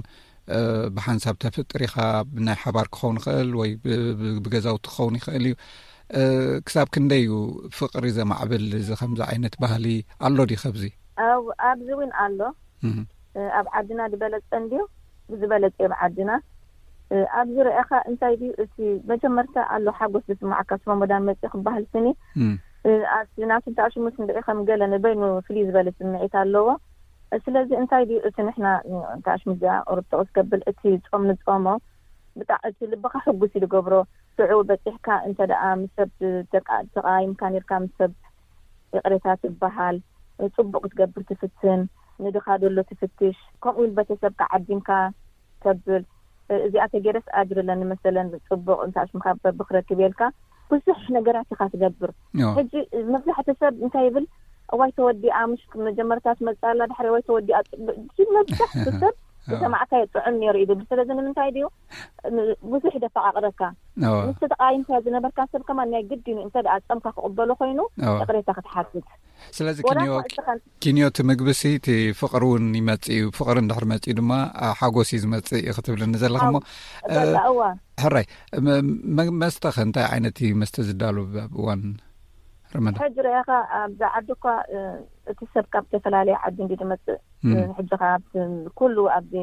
እ፣ ብሓንሳብ ተፍጥር ኢኻ። ብናይ ሓባር ክኸውን ይኽእል ወይ ብ- ብ- ብገዛውቲ ክኸውን ይኽእል እዩ። እ፣ ክሳብ ክንደይ እዩ ፍቕሪ ዘማዕብል እዚ ከምዚ ዓይነት ባህሊ ኣሎ ድዩ ከብዚ? ኣብ- ኣብዚ እውን ኣሎ። እህ፣ እ፣ ኣብ ዓድና ዝበለጸ እንድዩ ዝበለጸ ኣብ ዓድና እ፣ ኣብዚ ርኣኻ እንታይ ድዩ እቲ መጀመርታ ኣሎ ሓጎስ ዝስማዓካ ስሮሞዳን መጽእ ክበሃል ስኒ እም፣ እ፣ ኣቲ ናቱ እንተ ኣሽሙስ እንድዒ ከም ገለ ንበይኑ ፍልይ ዝበለ ስምዒት ኣለዎ። ስለዚ እንታይ ድዩ እቲ ንሕና እንተ ኣሽሙ እዚኣ ቁርብ ጥቕስ ከብል እቲ ጾም ንጾሞ ብጣዕ እቲ ልብኻ ሕጉስ እዩ ዝገብሮ። ሽዑ በጺሕካ እንተ ደኣ ምስ ሰብ ተቃ- ተቃይምካ ኔርካ ምስ ሰብ ይቕሬታ ትበሃል፣ ጽቡቕ ክትገብር ትፍትን፣ ንድኻ ደሎ ትፍትሽ፣ ከምኡ እውን ቤተሰብካ ዓዲምካ ተብል። እዚኣ ተገይረስ ኣጅሪ ኣለኒ መሰለን ጽቡቕ እንተ ኣሽምካ በብክረክብ የልካ ብዙሕ ነገራት ኢኻ ትገብር። እዋ። ሕጂ መብዛሕቲ ሰብ እንታይ ይብል? እዋይ ተወዲኣ፣ ምሽ መጀመርታ ትመጽእ ኣላ፣ ድሕሪ እዋይ ተወዲኣ። ጽቡቕ፣ እዚ መብዛሕቲ ሰብ ዝሰማዕካዮ ጥዑም ነይሩ እዩ ዝብል። ስለዚ ንምንታይ ድዩ ብዙሕ ደፈቃቅረካ? ምስ ተቃይምካ ዝነበርካ ሰብ ከማን ናይ ግድኑ እንተ ደኣ ጸምካ ክቕበሎ ኮይኑ ይቕሬታ ክትሓትት። ስለዚ ኪንዮ እቲ ምግብሲ እቲ ፍቕሪ እውን ይመጽእ እዩ። ፍቕሪ እንድሕር መጽኡ ድማ ሓጎስ እዩ ዝመጽእ እዩ ክትብልኒ ዘለኹ። እሞ ሕራይ፣ መስተኸ እንታይ ዓይነት እዩ መስተ ዝዳሉ ኣብ እዋን ረመዳን? ሕጂ ርኣኻ፣ ኣብዚ ዓዲ እኳ እቲ ሰብ ካብ ዝተፈላለየ ዓዲ እንዲ ዝመጽእ፣ ሕጂ ካብ ኩሉ ኣብዚ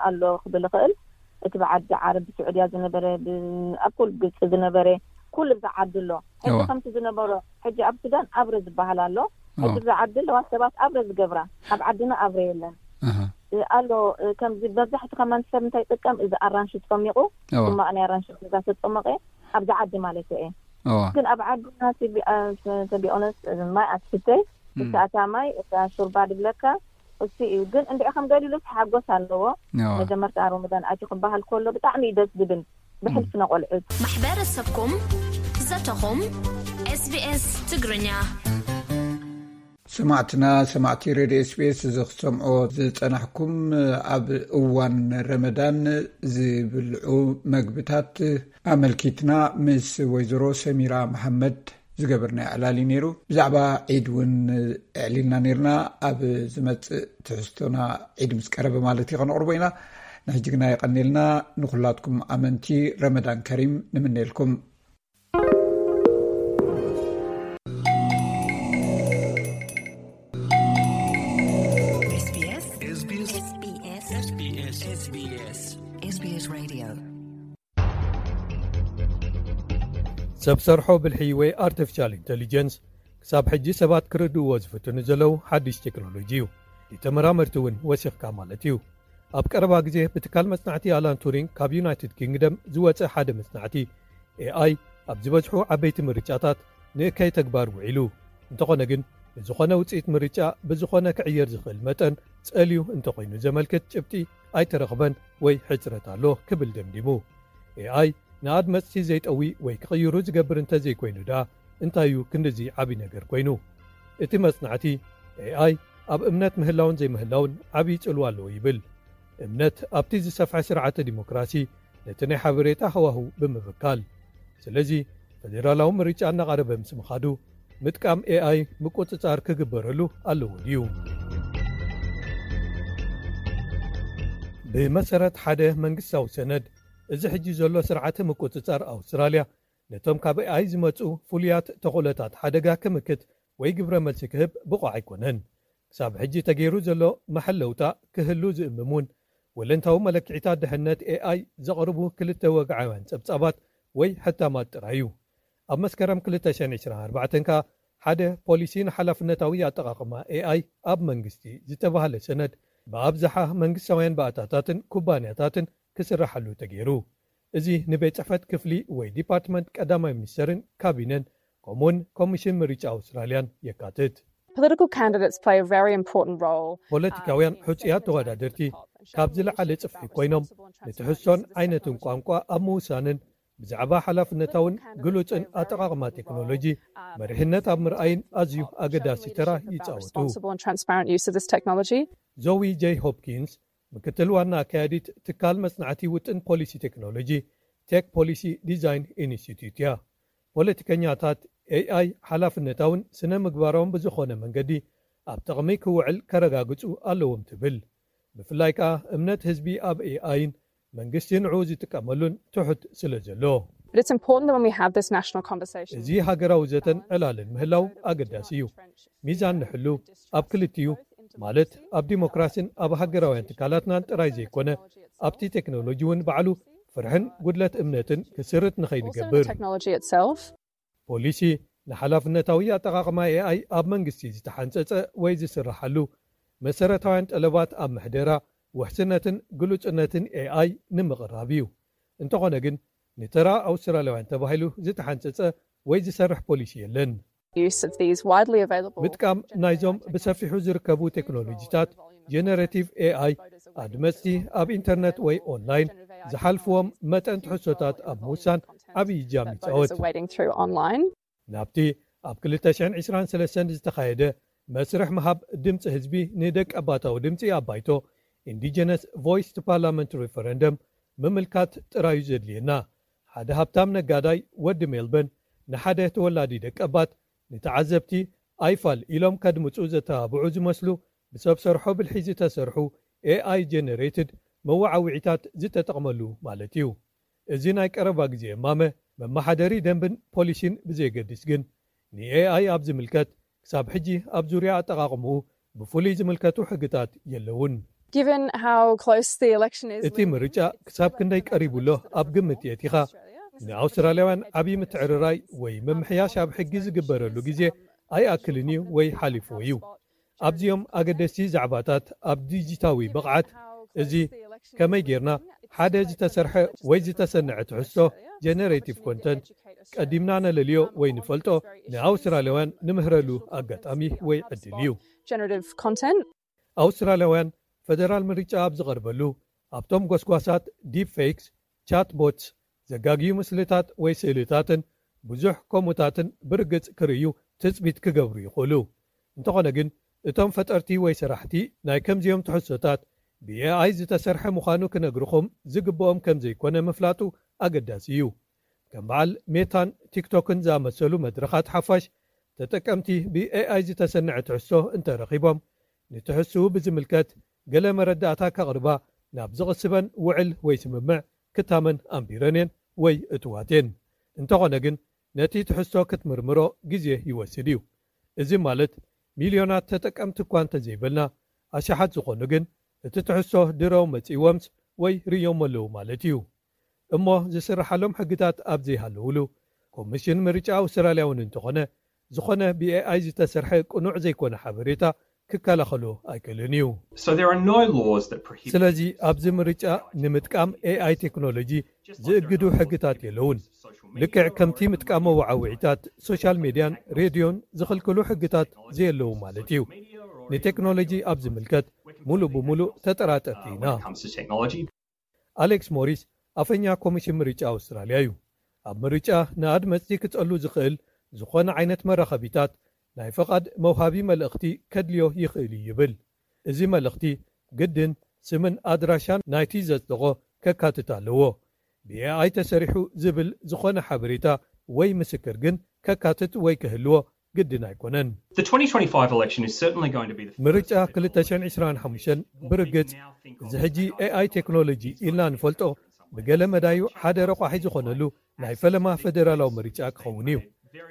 ኣሎ ክብል ይኽእል። እቲ ብዓዲ ዓረብ፣ ብስዑድያ ዝነበረ፣ ኣብ ኩሉ ግብፂ ዝነበረ፣ ኩሉ ብዛ ዓዲ ኣሎ። ሕጂ ከምቲ ዝነበሮ፣ ሕጂ ኣብ ሱዳን ኣብረ ዝበሃል ኣሎ። ሕጂ ብዛ ዓዲ ኣለዋ ሰባት ኣብረ ዝገብራ። ኣብ ዓድና ኣብረ የለን ኣሎ። ከምዚ መብዛሕቲ ከማን ሰብ እንታይ ይጥቀም? እዚ ኣራንሺ ጸሚቑ፣ ጽማቕ ናይ ኣራንሺ ገዛ ተጸመቐ፣ ኣብዛ ዓዲ ማለት እየ። ግን ኣብ ዓድና፣ to be honest፣ ማይ ኣትስተይ፣ እታ ማይ፣ እታ ሹርባ ድብለካ፣ እሱ እዩ። ግን እንድዒ ከም ገሊሉ ሓጎስ ኣለዎ። መጀመርታ ረመዳን ኣትዩ ክበሃል ከሎ ብጣዕሚ እዩ ደስ ዝብል። ብሕልፊ ነቆልዑት። ማሕበረሰብኩም፣ ዘተኹም፣ SBS ትግርኛ። ሰማዕትና፣ ሰማዕቲ ሬድዮ SBS፣ እዚ ክትሰምዖ ዝጸናሕኩም፣ ኣብ እዋን ረመዳን ዝብልዑ መግብታት ኣመልኪትና ምስ ወይዘሮ ሰሚራ መሓመድ ዝገበርና ዕላል እዩ ነይሩ። ብዛዕባ ዒድ እውን ኣዕሊልና ነይርና። ኣብ ዝመጽእ ትሕዝቶና፣ ዒድ ምስ ቀረበ ማለት እዩ፣ ከነቕርቦ ኢና። ንሕጂ ግና የቐንየልና። ንኹላትኩም ኣመንቲ ረመዳን ከሪም ንምነየልኩም። SBS Radio። ሰብ ሰርሖ ብልሒ ወይ ኣርቲፊሻል ኢንተሊጀንስ ክሳብ ሕጂ ሰባት ክርድእዎ ዝፍትኑ ዘለዉ ሓድሽ ቴክኖሎጂ እዩ። እቲ ተመራመርቲ እውን ወሲኽካ ማለት እዩ። ኣብ ቀረባ ግዜ ብትካል መጽናዕቲ ኣላን ቱሪንግ ካብ ዩናይትድ ኪንግደም ዝወጸ ሓደ መጽናዕቲ፣ ኤኣይ ኣብ ዝበዝሑ ዓበይቲ ምርጫታት ንእከይ ተግባር ውዒሉ፣ እንተኾነ ግን ንዝኾነ ውጽኢት ምርጫ ብዝኾነ ክዕየር ዝኽእል መጠን ጸልዩ እንተኾይኑ ዘመልክት ጭብጢ ኣይተረኽበን ወይ ሕጽረት ኣሎ ክብል ደምዲሙ። ኤኣይ ንኣድመጽቲ ዘይጠዊ ወይ ክቕይሩ ዝገብር እንተዘይኮይኑ ደኣ እንታይ እዩ ክንድዚ ዓቢ ነገር ኮይኑ? እቲ መጽናዕቲ፣ ኤኣይ ኣብ እምነት ምህላውን ዘይምህላውን ዓቢ ጽልዋ ኣለዎ ይብል። እምነት ኣብቲ ዝሰፍሐ ስርዓተ ዲሞክራሲ ነቲ ናይ ሓበሬታ ሃዋህው ብምብካል። ስለዚ ፈደራላዊ ምርጫ እናቐረበ ምስ ምኻዱ፣ ምጥቃም ኤኣይ ምቁጽጻር ክግበረሉ ኣለዎ ድዩ? ብመሰረት ሓደ መንግስታዊ ሰነድ፣ እዚ ሕጂ ዘሎ ስርዓተ ምቁጽጻር ኣውስትራልያ ነቶም ካብ ኤኣይ ዝመጹ ፍሉያት ተኽእሎታት ሓደጋ ክምክት ወይ ግብረ መልሲ ክህብ ብቑዕ ኣይኮነን። ክሳብ ሕጂ ተገይሩ ዘሎ መሐለውታ ክህሉ ዝእምም እውን፣ ወለንታዊ መለክዒታት ድሕነት ኤኣይ ዘቕርቡ ክልተ ወግዓውያን ጸብጻባት ወይ ሕታማት ጥራይ እዩ። ኣብ መስከረም ክልተ ሽሕን ዕስራን ኣርባዕተን ከኣ ሓደ ፖሊሲ ንሓላፍነታዊ ኣጠቓቕማ ኤኣይ ኣብ መንግስቲ ዝተባህለ ሰነድ ብኣብዝሓ መንግስታውያን ባእታታትን ኩባንያታትን ክስራሓሉ ተገይሩ። እዚ ንቤት ጽሕፈት ክፍሊ ወይ ዲፓርትመንት ቀዳማይ ሚኒስተርን ካቢነን፣ ከምኡውን ኮሚሽን ምርጫ ኣውስትራልያን የካትት። Political candidates play a very important role. ፖለቲካውያን ሕጹያት ተወዳደርቲ ካብ ዝለዓለ ጽፍሒ ኮይኖም፣ ንትሕዝቶን ዓይነትን ቋንቋ ኣብ ምውሳንን ብዛዕባ ሓላፍነታውን ግሉጽን ኣጠቓቕማ ቴክኖሎጂ መሪሕነት ኣብ ምርኣይን ኣዝዩ ኣገዳሲ ተራ ይጻወቱ። Responsible and transparent use of this technology. ዞዊ ጄይ ሆፕኪንስ፣ ምክትል ዋና ኣካያዲት ትካል መጽናዕቲ ውጥን ፖሊሲ ቴክኖሎጂ፣ ቴክ ፖሊሲ ዲዛይን ኢንስቲትዩት እያ። ፖለቲከኛታት ኤኣይ ሓላፍነታውን ስነ ምግባራውን ብዝኾነ መንገዲ ኣብ ጥቕሚ ክውዕል ከረጋግጹ ኣለዎም ትብል። ብፍላይ ከኣ እምነት ህዝቢ ኣብ ኤኣይን መንግስቲ ንዕኡ ዝጥቀመሉን ትሑት ስለ ዘሎ። But it's important that when we have this national conversation, እዚ ሃገራዊ ዘተን ዕላልን ምህላው ኣገዳሲ እዩ። ሚዛን ንሕሉ ኣብ ክልቲኡ፣ ማለት ኣብ ዲሞክራሲን ኣብ ሃገራውያን ትካላትናን ጥራይ ዘይኮነ፣ ኣብቲ ቴክኖሎጂ እውን ባዕሉ ፍርሕን ጉድለት እምነትን ክስርት ንኸይንገብር። Also the technology itself. ፖሊሲ ንሓላፍነታዊ ኣጠቓቕማ ኤኣይ ኣብ መንግስቲ ዝተሓንጸጸ ወይ ዝስራሓሉ መሰረታውያን ጠለባት ኣብ ምሕደራ፣ ውሕስነትን ግሉጽነትን ኤኣይ ንምቕራብ እዩ። እንተኾነ ግን፣ ንተራ ኣውስትራልያውያን ተባሂሉ ዝተሓንጸጸ ወይ ዝሰርሕ ፖሊሲ የለን። Use of these widely available ምጥቃም ናይዞም ብሰፊሑ ዝርከቡ ቴክኖሎጂታት ጀነሬቲቭ ኤኣይ፣ ኣድመጽቲ ኣብ ኢንተርነት ወይ ኦንላይን ዝሓልፍዎም መጠን ትሕዝቶታት ኣብ ምውሳን ዓቢ እጃም ይጻወት። Wading through online. ናብቲ ኣብ ክልተ ሽሕን ዕስራን ሰለስተን ዝተኻየደ መስርሕ ምሃብ ድምጺ ህዝቢ ንደቂ ኣባታዊ ድምጺ ኣብ ባይቶ፣ Indigenous Voice to Parliament Referendum ምምልካት ጥራዩ ዘድልየና። ሓደ ሃብታም ነጋዳይ ወዲ ሜልበን ንሓደ ተወላዲ ደቀባት ንተዓዘብቲ ኣይፋል ኢሎም ከድምፁ ዘተባብዑ ዝመስሉ ብሰብ ሰርሖ ብልሒ ዝተሰርሑ ኤኣይ ጀነሬትድ መወዓውዒታት ዝተጠቕመሉ ማለት እዩ። እዚ ናይ ቀረባ ግዜ እማመ መመሓደሪ ደንብን ፖሊሲን ብዘየገድስ ግን ንኤኣይ ኣብ ዝምልከት ክሳብ ሕጂ ኣብ ዙርያ ኣጠቓቕምኡ ብፍሉይ ዝምልከቱ ሕግታት የለውን። እቲ ምርጫ ክሳብ ክንደይ ቀሪቡ ኣሎ ኣብ ግምት የእቲኻ ንኣውስትራልያውያን ዓብዪ ምትዕርራይ ወይ ምምሕያሽ ኣብ ሕጊ ዝግበረሉ ግዜ ኣይኣክልን እዩ ወይ ሓሊፍዎ እዩ። ኣብዚኦም ኣገደስቲ ዛዕባታት ኣብ ዲጂታዊ ብቕዓት እዚ ከመይ ጌርና ሓደ ዝተሰርሐ ወይ ዝተሰንዐ ትሕዝቶ ጀነሬቲቭ ኮንተንት ቀዲምና ነለልዮ ወይ ንፈልጦ ንኣውስትራልያውያን ንምህረሉ ኣጋጣሚ ወይ ዕድል እዩ። ኣውስትራልያውያን ፈደራል ምርጫ ኣብ ዝቐርበሉ ኣብቶም ጎስጓሳት ዲፕ ፌክስ፣ ቻት ቦትስ፣ ዘጋግዩ ምስልታት ወይ ስእልታትን ብዙሕ ከምኡታትን ብርግጽ ክርእዩ ትጽቢት ክገብሩ ይኽእሉ። እንተኾነ ግን እቶም ፈጠርቲ ወይ ሰራሕቲ ናይ ከምዚኦም ትሕዝቶታት ብኤኣይ ዝተሰርሐ ምዃኑ ክነግርኹም ዝግብኦም ከም ዘይኮነ ምፍላጡ ኣገዳሲ እዩ። ከም በዓል ሜታን ቲክቶክን ዝኣመሰሉ መድረኻት ሓፋሽ ተጠቀምቲ ብኤኣይ ዝተሰንዐ ትሕዝቶ እንተረኺቦም ንትሕዝትኡ ብዝምልከት ገለ መረዳእታ ከቕርባ ናብ ዝቕስበን ውዕል ወይ ስምምዕ ክታመን ኣንቢረን እየን ወይ እትዋት እየን። እንተኾነ ግን ነቲ ትሕዝቶ ክትምርምሮ ግዜ ይወስድ እዩ። እዚ ማለት ሚልዮናት ተጠቀምቲ እኳ እንተዘይበልና ኣሽሓት ዝኾኑ ግን እቲ ትሕዝቶ ድረው መጺእዎምስ ወይ ርእዮም ኣለዉ ማለት እዩ። እሞ ዝስርሓሎም ሕግታት ኣብ ዘይሃለውሉ ኮሚሽን ምርጫ ኣውስትራልያ እውን እንተኾነ ዝኾነ ብኤኣይ ዝተሰርሐ ቅኑዕ ዘይኮነ ሓበሬታ ክከላኸሎ ኣይክእልን እዩ። ስለዚ ኣብዚ ምርጫ ንምጥቃም ኤኣይ ቴክኖሎጂ ዝእግዱ ሕግታት የለውን። ልክዕ ከምቲ ምጥቃም መወዓውዒታት ሶሻል ሜድያን ሬድዮን ዝኽልክሉ ሕግታት ዘየለዉ ማለት እዩ። ንቴክኖሎጂ ኣብ ዝምልከት ሙሉእ ብሙሉእ ተጠራጠርቲ ኢና። ኣሌክስ ሞሪስ ኣፈኛ ኮሚሽን ምርጫ ኣውስትራልያ እዩ። ኣብ ምርጫ ንኣድመፅቲ ክፀሉ ዝኽእል ዝኾነ ዓይነት መራኸቢታት ናይ ፈቓድ መውሃቢ መልእኽቲ ከድልዮ ይኽእል እዩ ይብል። እዚ መልእኽቲ ግድን ስምን ኣድራሻን ናይቲ ዘፅደቖ ከካትት ኣለዎ። ብኤኣይ ተሰሪሑ ዝብል ዝኾነ ሓበሬታ ወይ ምስክር ግን ከካትት ወይ ክህልዎ ግድን ኣይኮነን። ምርጫ ክልተ ሽሕን ዕስራን ሓሙሽተን ብርግጽ እዚ ሕጂ ኤኣይ ቴክኖሎጂ ኢልና ንፈልጦ ብገለ መዳዩ ሓደ ረቋሒ ዝኾነሉ ናይ ፈለማ ፈደራላዊ ምርጫ ክኸውን እዩ።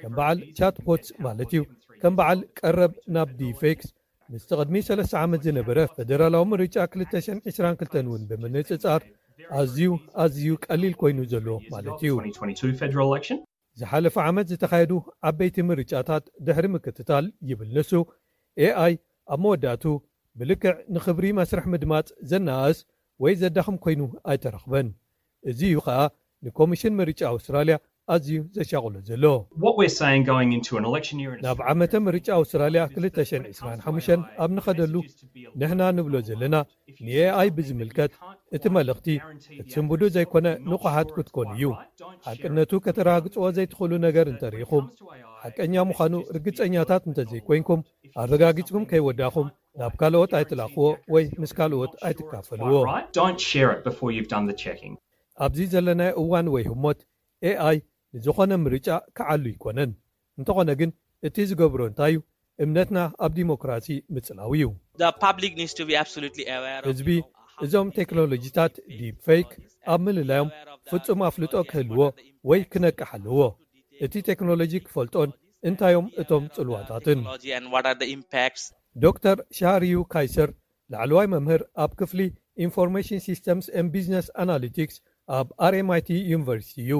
ከም በዓል ቻትቦትስ ማለት እዩ። ከም በዓል ቀረብ ናብ ዲፌክስ ምስቲ ቅድሚ ሰለስተ ዓመት ዝነበረ ፈደራላዊ ምርጫ ክልተ ሽሕን ዕስራን ክልተን እውን ብምንጽጻር ኣዝዩ ኣዝዩ ቀሊል ኮይኑ ዘሎ ማለት እዩ። ዝሓለፈ ዓመት ዝተኻየዱ ዓበይቲ ምርጫታት ድሕሪ ምክትታል ይብል ንሱ፣ ኤኣይ ኣብ መወዳእቱ ብልክዕ ንኽብሪ መስርሕ ምድማፅ ዘነኣእስ ወይ ዘዳኽም ኮይኑ ኣይተረኽበን። እዚ እዩ ኸኣ ንኮሚሽን ምርጫ ኣውስትራልያ ኣዝዩ ዘሻቕሎ ዘሎ። ናብ ዓመተ ምርጫ ኣውስትራልያ ክልተ ሽሕን ዕስራን ሓሙሽተን ኣብ ንኸደሉ ንሕና ንብሎ ዘለና ንኤኣይ ብዝምልከት እቲ መልእኽቲ ክትስንብዱ ዘይኮነ ንቑሓት ክትኮኑ እዩ። ሓቅነቱ ከተረጋግጽዎ ዘይትኽእሉ ነገር እንተርኢኹም፣ ሓቀኛ ምዃኑ ርግጸኛታት እንተዘይኮይንኩም ኣረጋጊጽኩም ከይወዳእኹም ናብ ካልኦት ኣይትላኽዎ ወይ ምስ ካልኦት ኣይትካፈልዎ። ኣብዚ ዘለናዮ እዋን ወይ ህሞት ኤኣይ ንዝኾነ ምርጫ ክዓሉ ኣይኮነን። እንተኾነ ግን እቲ ዝገብሮ እንታይ እዩ? እምነትና ኣብ ዲሞክራሲ ምጽላው እዩ። ህዝቢ እዞም ቴክኖሎጂታት ዲፕ ፌክ ኣብ ምልላዮም ፍጹም ኣፍልጦ ክህልዎ ወይ ክነቅሕ ኣለዎ። እቲ ቴክኖሎጂ ክፈልጦን እንታዮም እቶም ጽልዋታትን። ዶክተር ሻሪዩ ካይሰር ላዕለዋይ መምህር ኣብ ክፍሊ ኢንፎርሜሽን ሲስተምስ ኤን ቢዝነስ ኣናሊቲክስ ኣብ ኣርኤምኣይቲ ዩኒቨርሲቲ እዩ።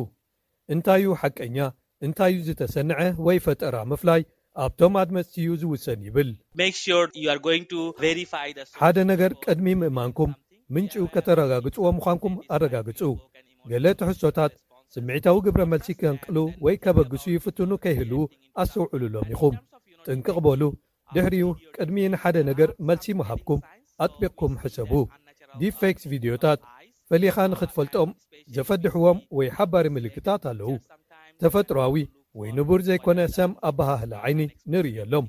እንታዩ ሓቀኛ እንታዩ ዝተሰንዐ ወይ ፈጠራ ምፍላይ ኣብቶም ኣድመፅቲ እዩ ዝውሰን ይብል። ሓደ ነገር ቅድሚ ምእማንኩም ምንጭኡ ከተረጋግፅዎ ምዃንኩም ኣረጋግፁ። ገለ ትሕዝቶታት ስምዒታዊ ግብረ መልሲ ከንቅሉ ወይ ከበግሱ ይፍትኑ ከይህልዉ ኣስተውዕሉሎም ኢኹም። ጥንቅቕ በሉ። ድሕሪኡ ቅድሚ ንሓደ ነገር መልሲ ምሃብኩም ኣጥቢቕኩም ሕሰቡ። ዲፕፌክስ ቪድዮታት ፈሊኻ ንኽትፈልጦም ዘፈድሕዎም ወይ ሓባሪ ምልክታት ኣለዉ። ተፈጥሮኣዊ ወይ ንቡር ዘይኮነ ሰም ኣበሃህላ ዓይኒ ንርእየሎም።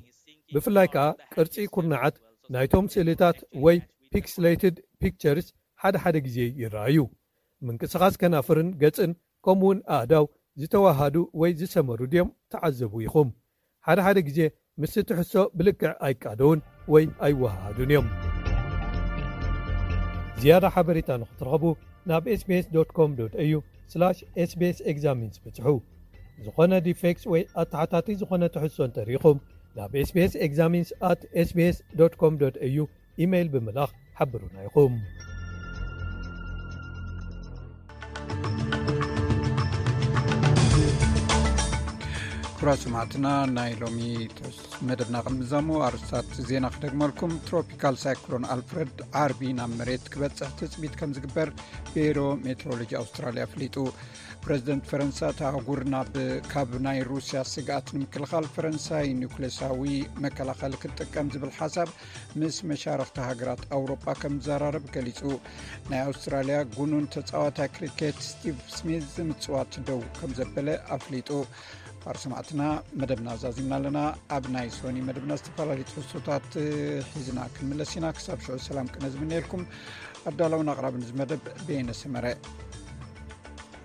ብፍላይ ከኣ ቅርጺ ኩርናዓት ናይቶም ስእልታት ወይ ፒክስሌትድ ፒክቸርስ ሓደ ሓደ ግዜ ይረኣዩ። ምንቅስቓስ ከናፍርን ገጽን ከምኡውን ኣእዳው ዝተዋሃዱ ወይ ዝሰመሩ ድዮም ትዓዘቡ ኢኹም። ሓደ ሓደ ግዜ ምስቲ ትሕዝቶ ብልክዕ ኣይቃደውን ወይ ኣይወሃሃዱን እዮም። ዝያዳ ሓበሬታ ንኽትረኽቡ ናብ ኤስቢኤስ ዶት ኮም ዶት ኤዩ ስላሽ ኤስቢኤስ ኤግዛሚንስ ብጽሑ። ዝኾነ ዲፌክትስ ወይ ኣተሓታቲ ዝኾነ ትሕዝቶ እንተሪኢኹም ናብ ኤስቢኤስ ኤግዛሚንስ ኣት ኤስቢኤስ ዶት ኮም ዶት ኤዩ ኢሜይል ብምልኣኽ ሓብሩና ኢኹም። ክቡራት ሰማዕትና፣ ናይ ሎሚ መደብና ቅድሚ ዛሞ ኣርስታት ዜና ክደግመልኩም። ትሮፒካል ሳይክሎን ኣልፍረድ ዓርቢ ናብ መሬት ክበጽሕ ትጽቢት ከም ዝግበር ቢሮ ሜትሮሎጂ ኣውስትራልያ ኣፍሊጡ። ፕረዚደንት ፈረንሳ፣ እታ ኣህጉር ናብ፣ ካብ ናይ ሩስያ ስግኣት ንምክልኻል ፈረንሳይ ኒውክሌሳዊ መከላኸሊ ክትጥቀም ዝብል ሓሳብ ምስ መሻርኽቲ ሃገራት ኣውሮጳ ከም ዝዘራረብ ገሊጹ። ናይ ኣውስትራልያ ጉኑን ተጻዋታይ ክሪኬት ስቲቭ ስሚዝ ምጽዋት ደው ከም ዘበለ ኣፍሊጡ። ክቡራት ሰማዕትና፣ መደብና ዛዚምና ኣለና። ኣብ ናይ ሶኒ መደብና ዝተፈላለዩ ትሕዝቶታት ሒዝና ክንምለስ ኢና። ክሳብ ሽዑ ሰላም ቅነ ዝምነየልኩም። ኣዳላውን ኣቕራብን እዚ መደብ በየነ ሰመረ።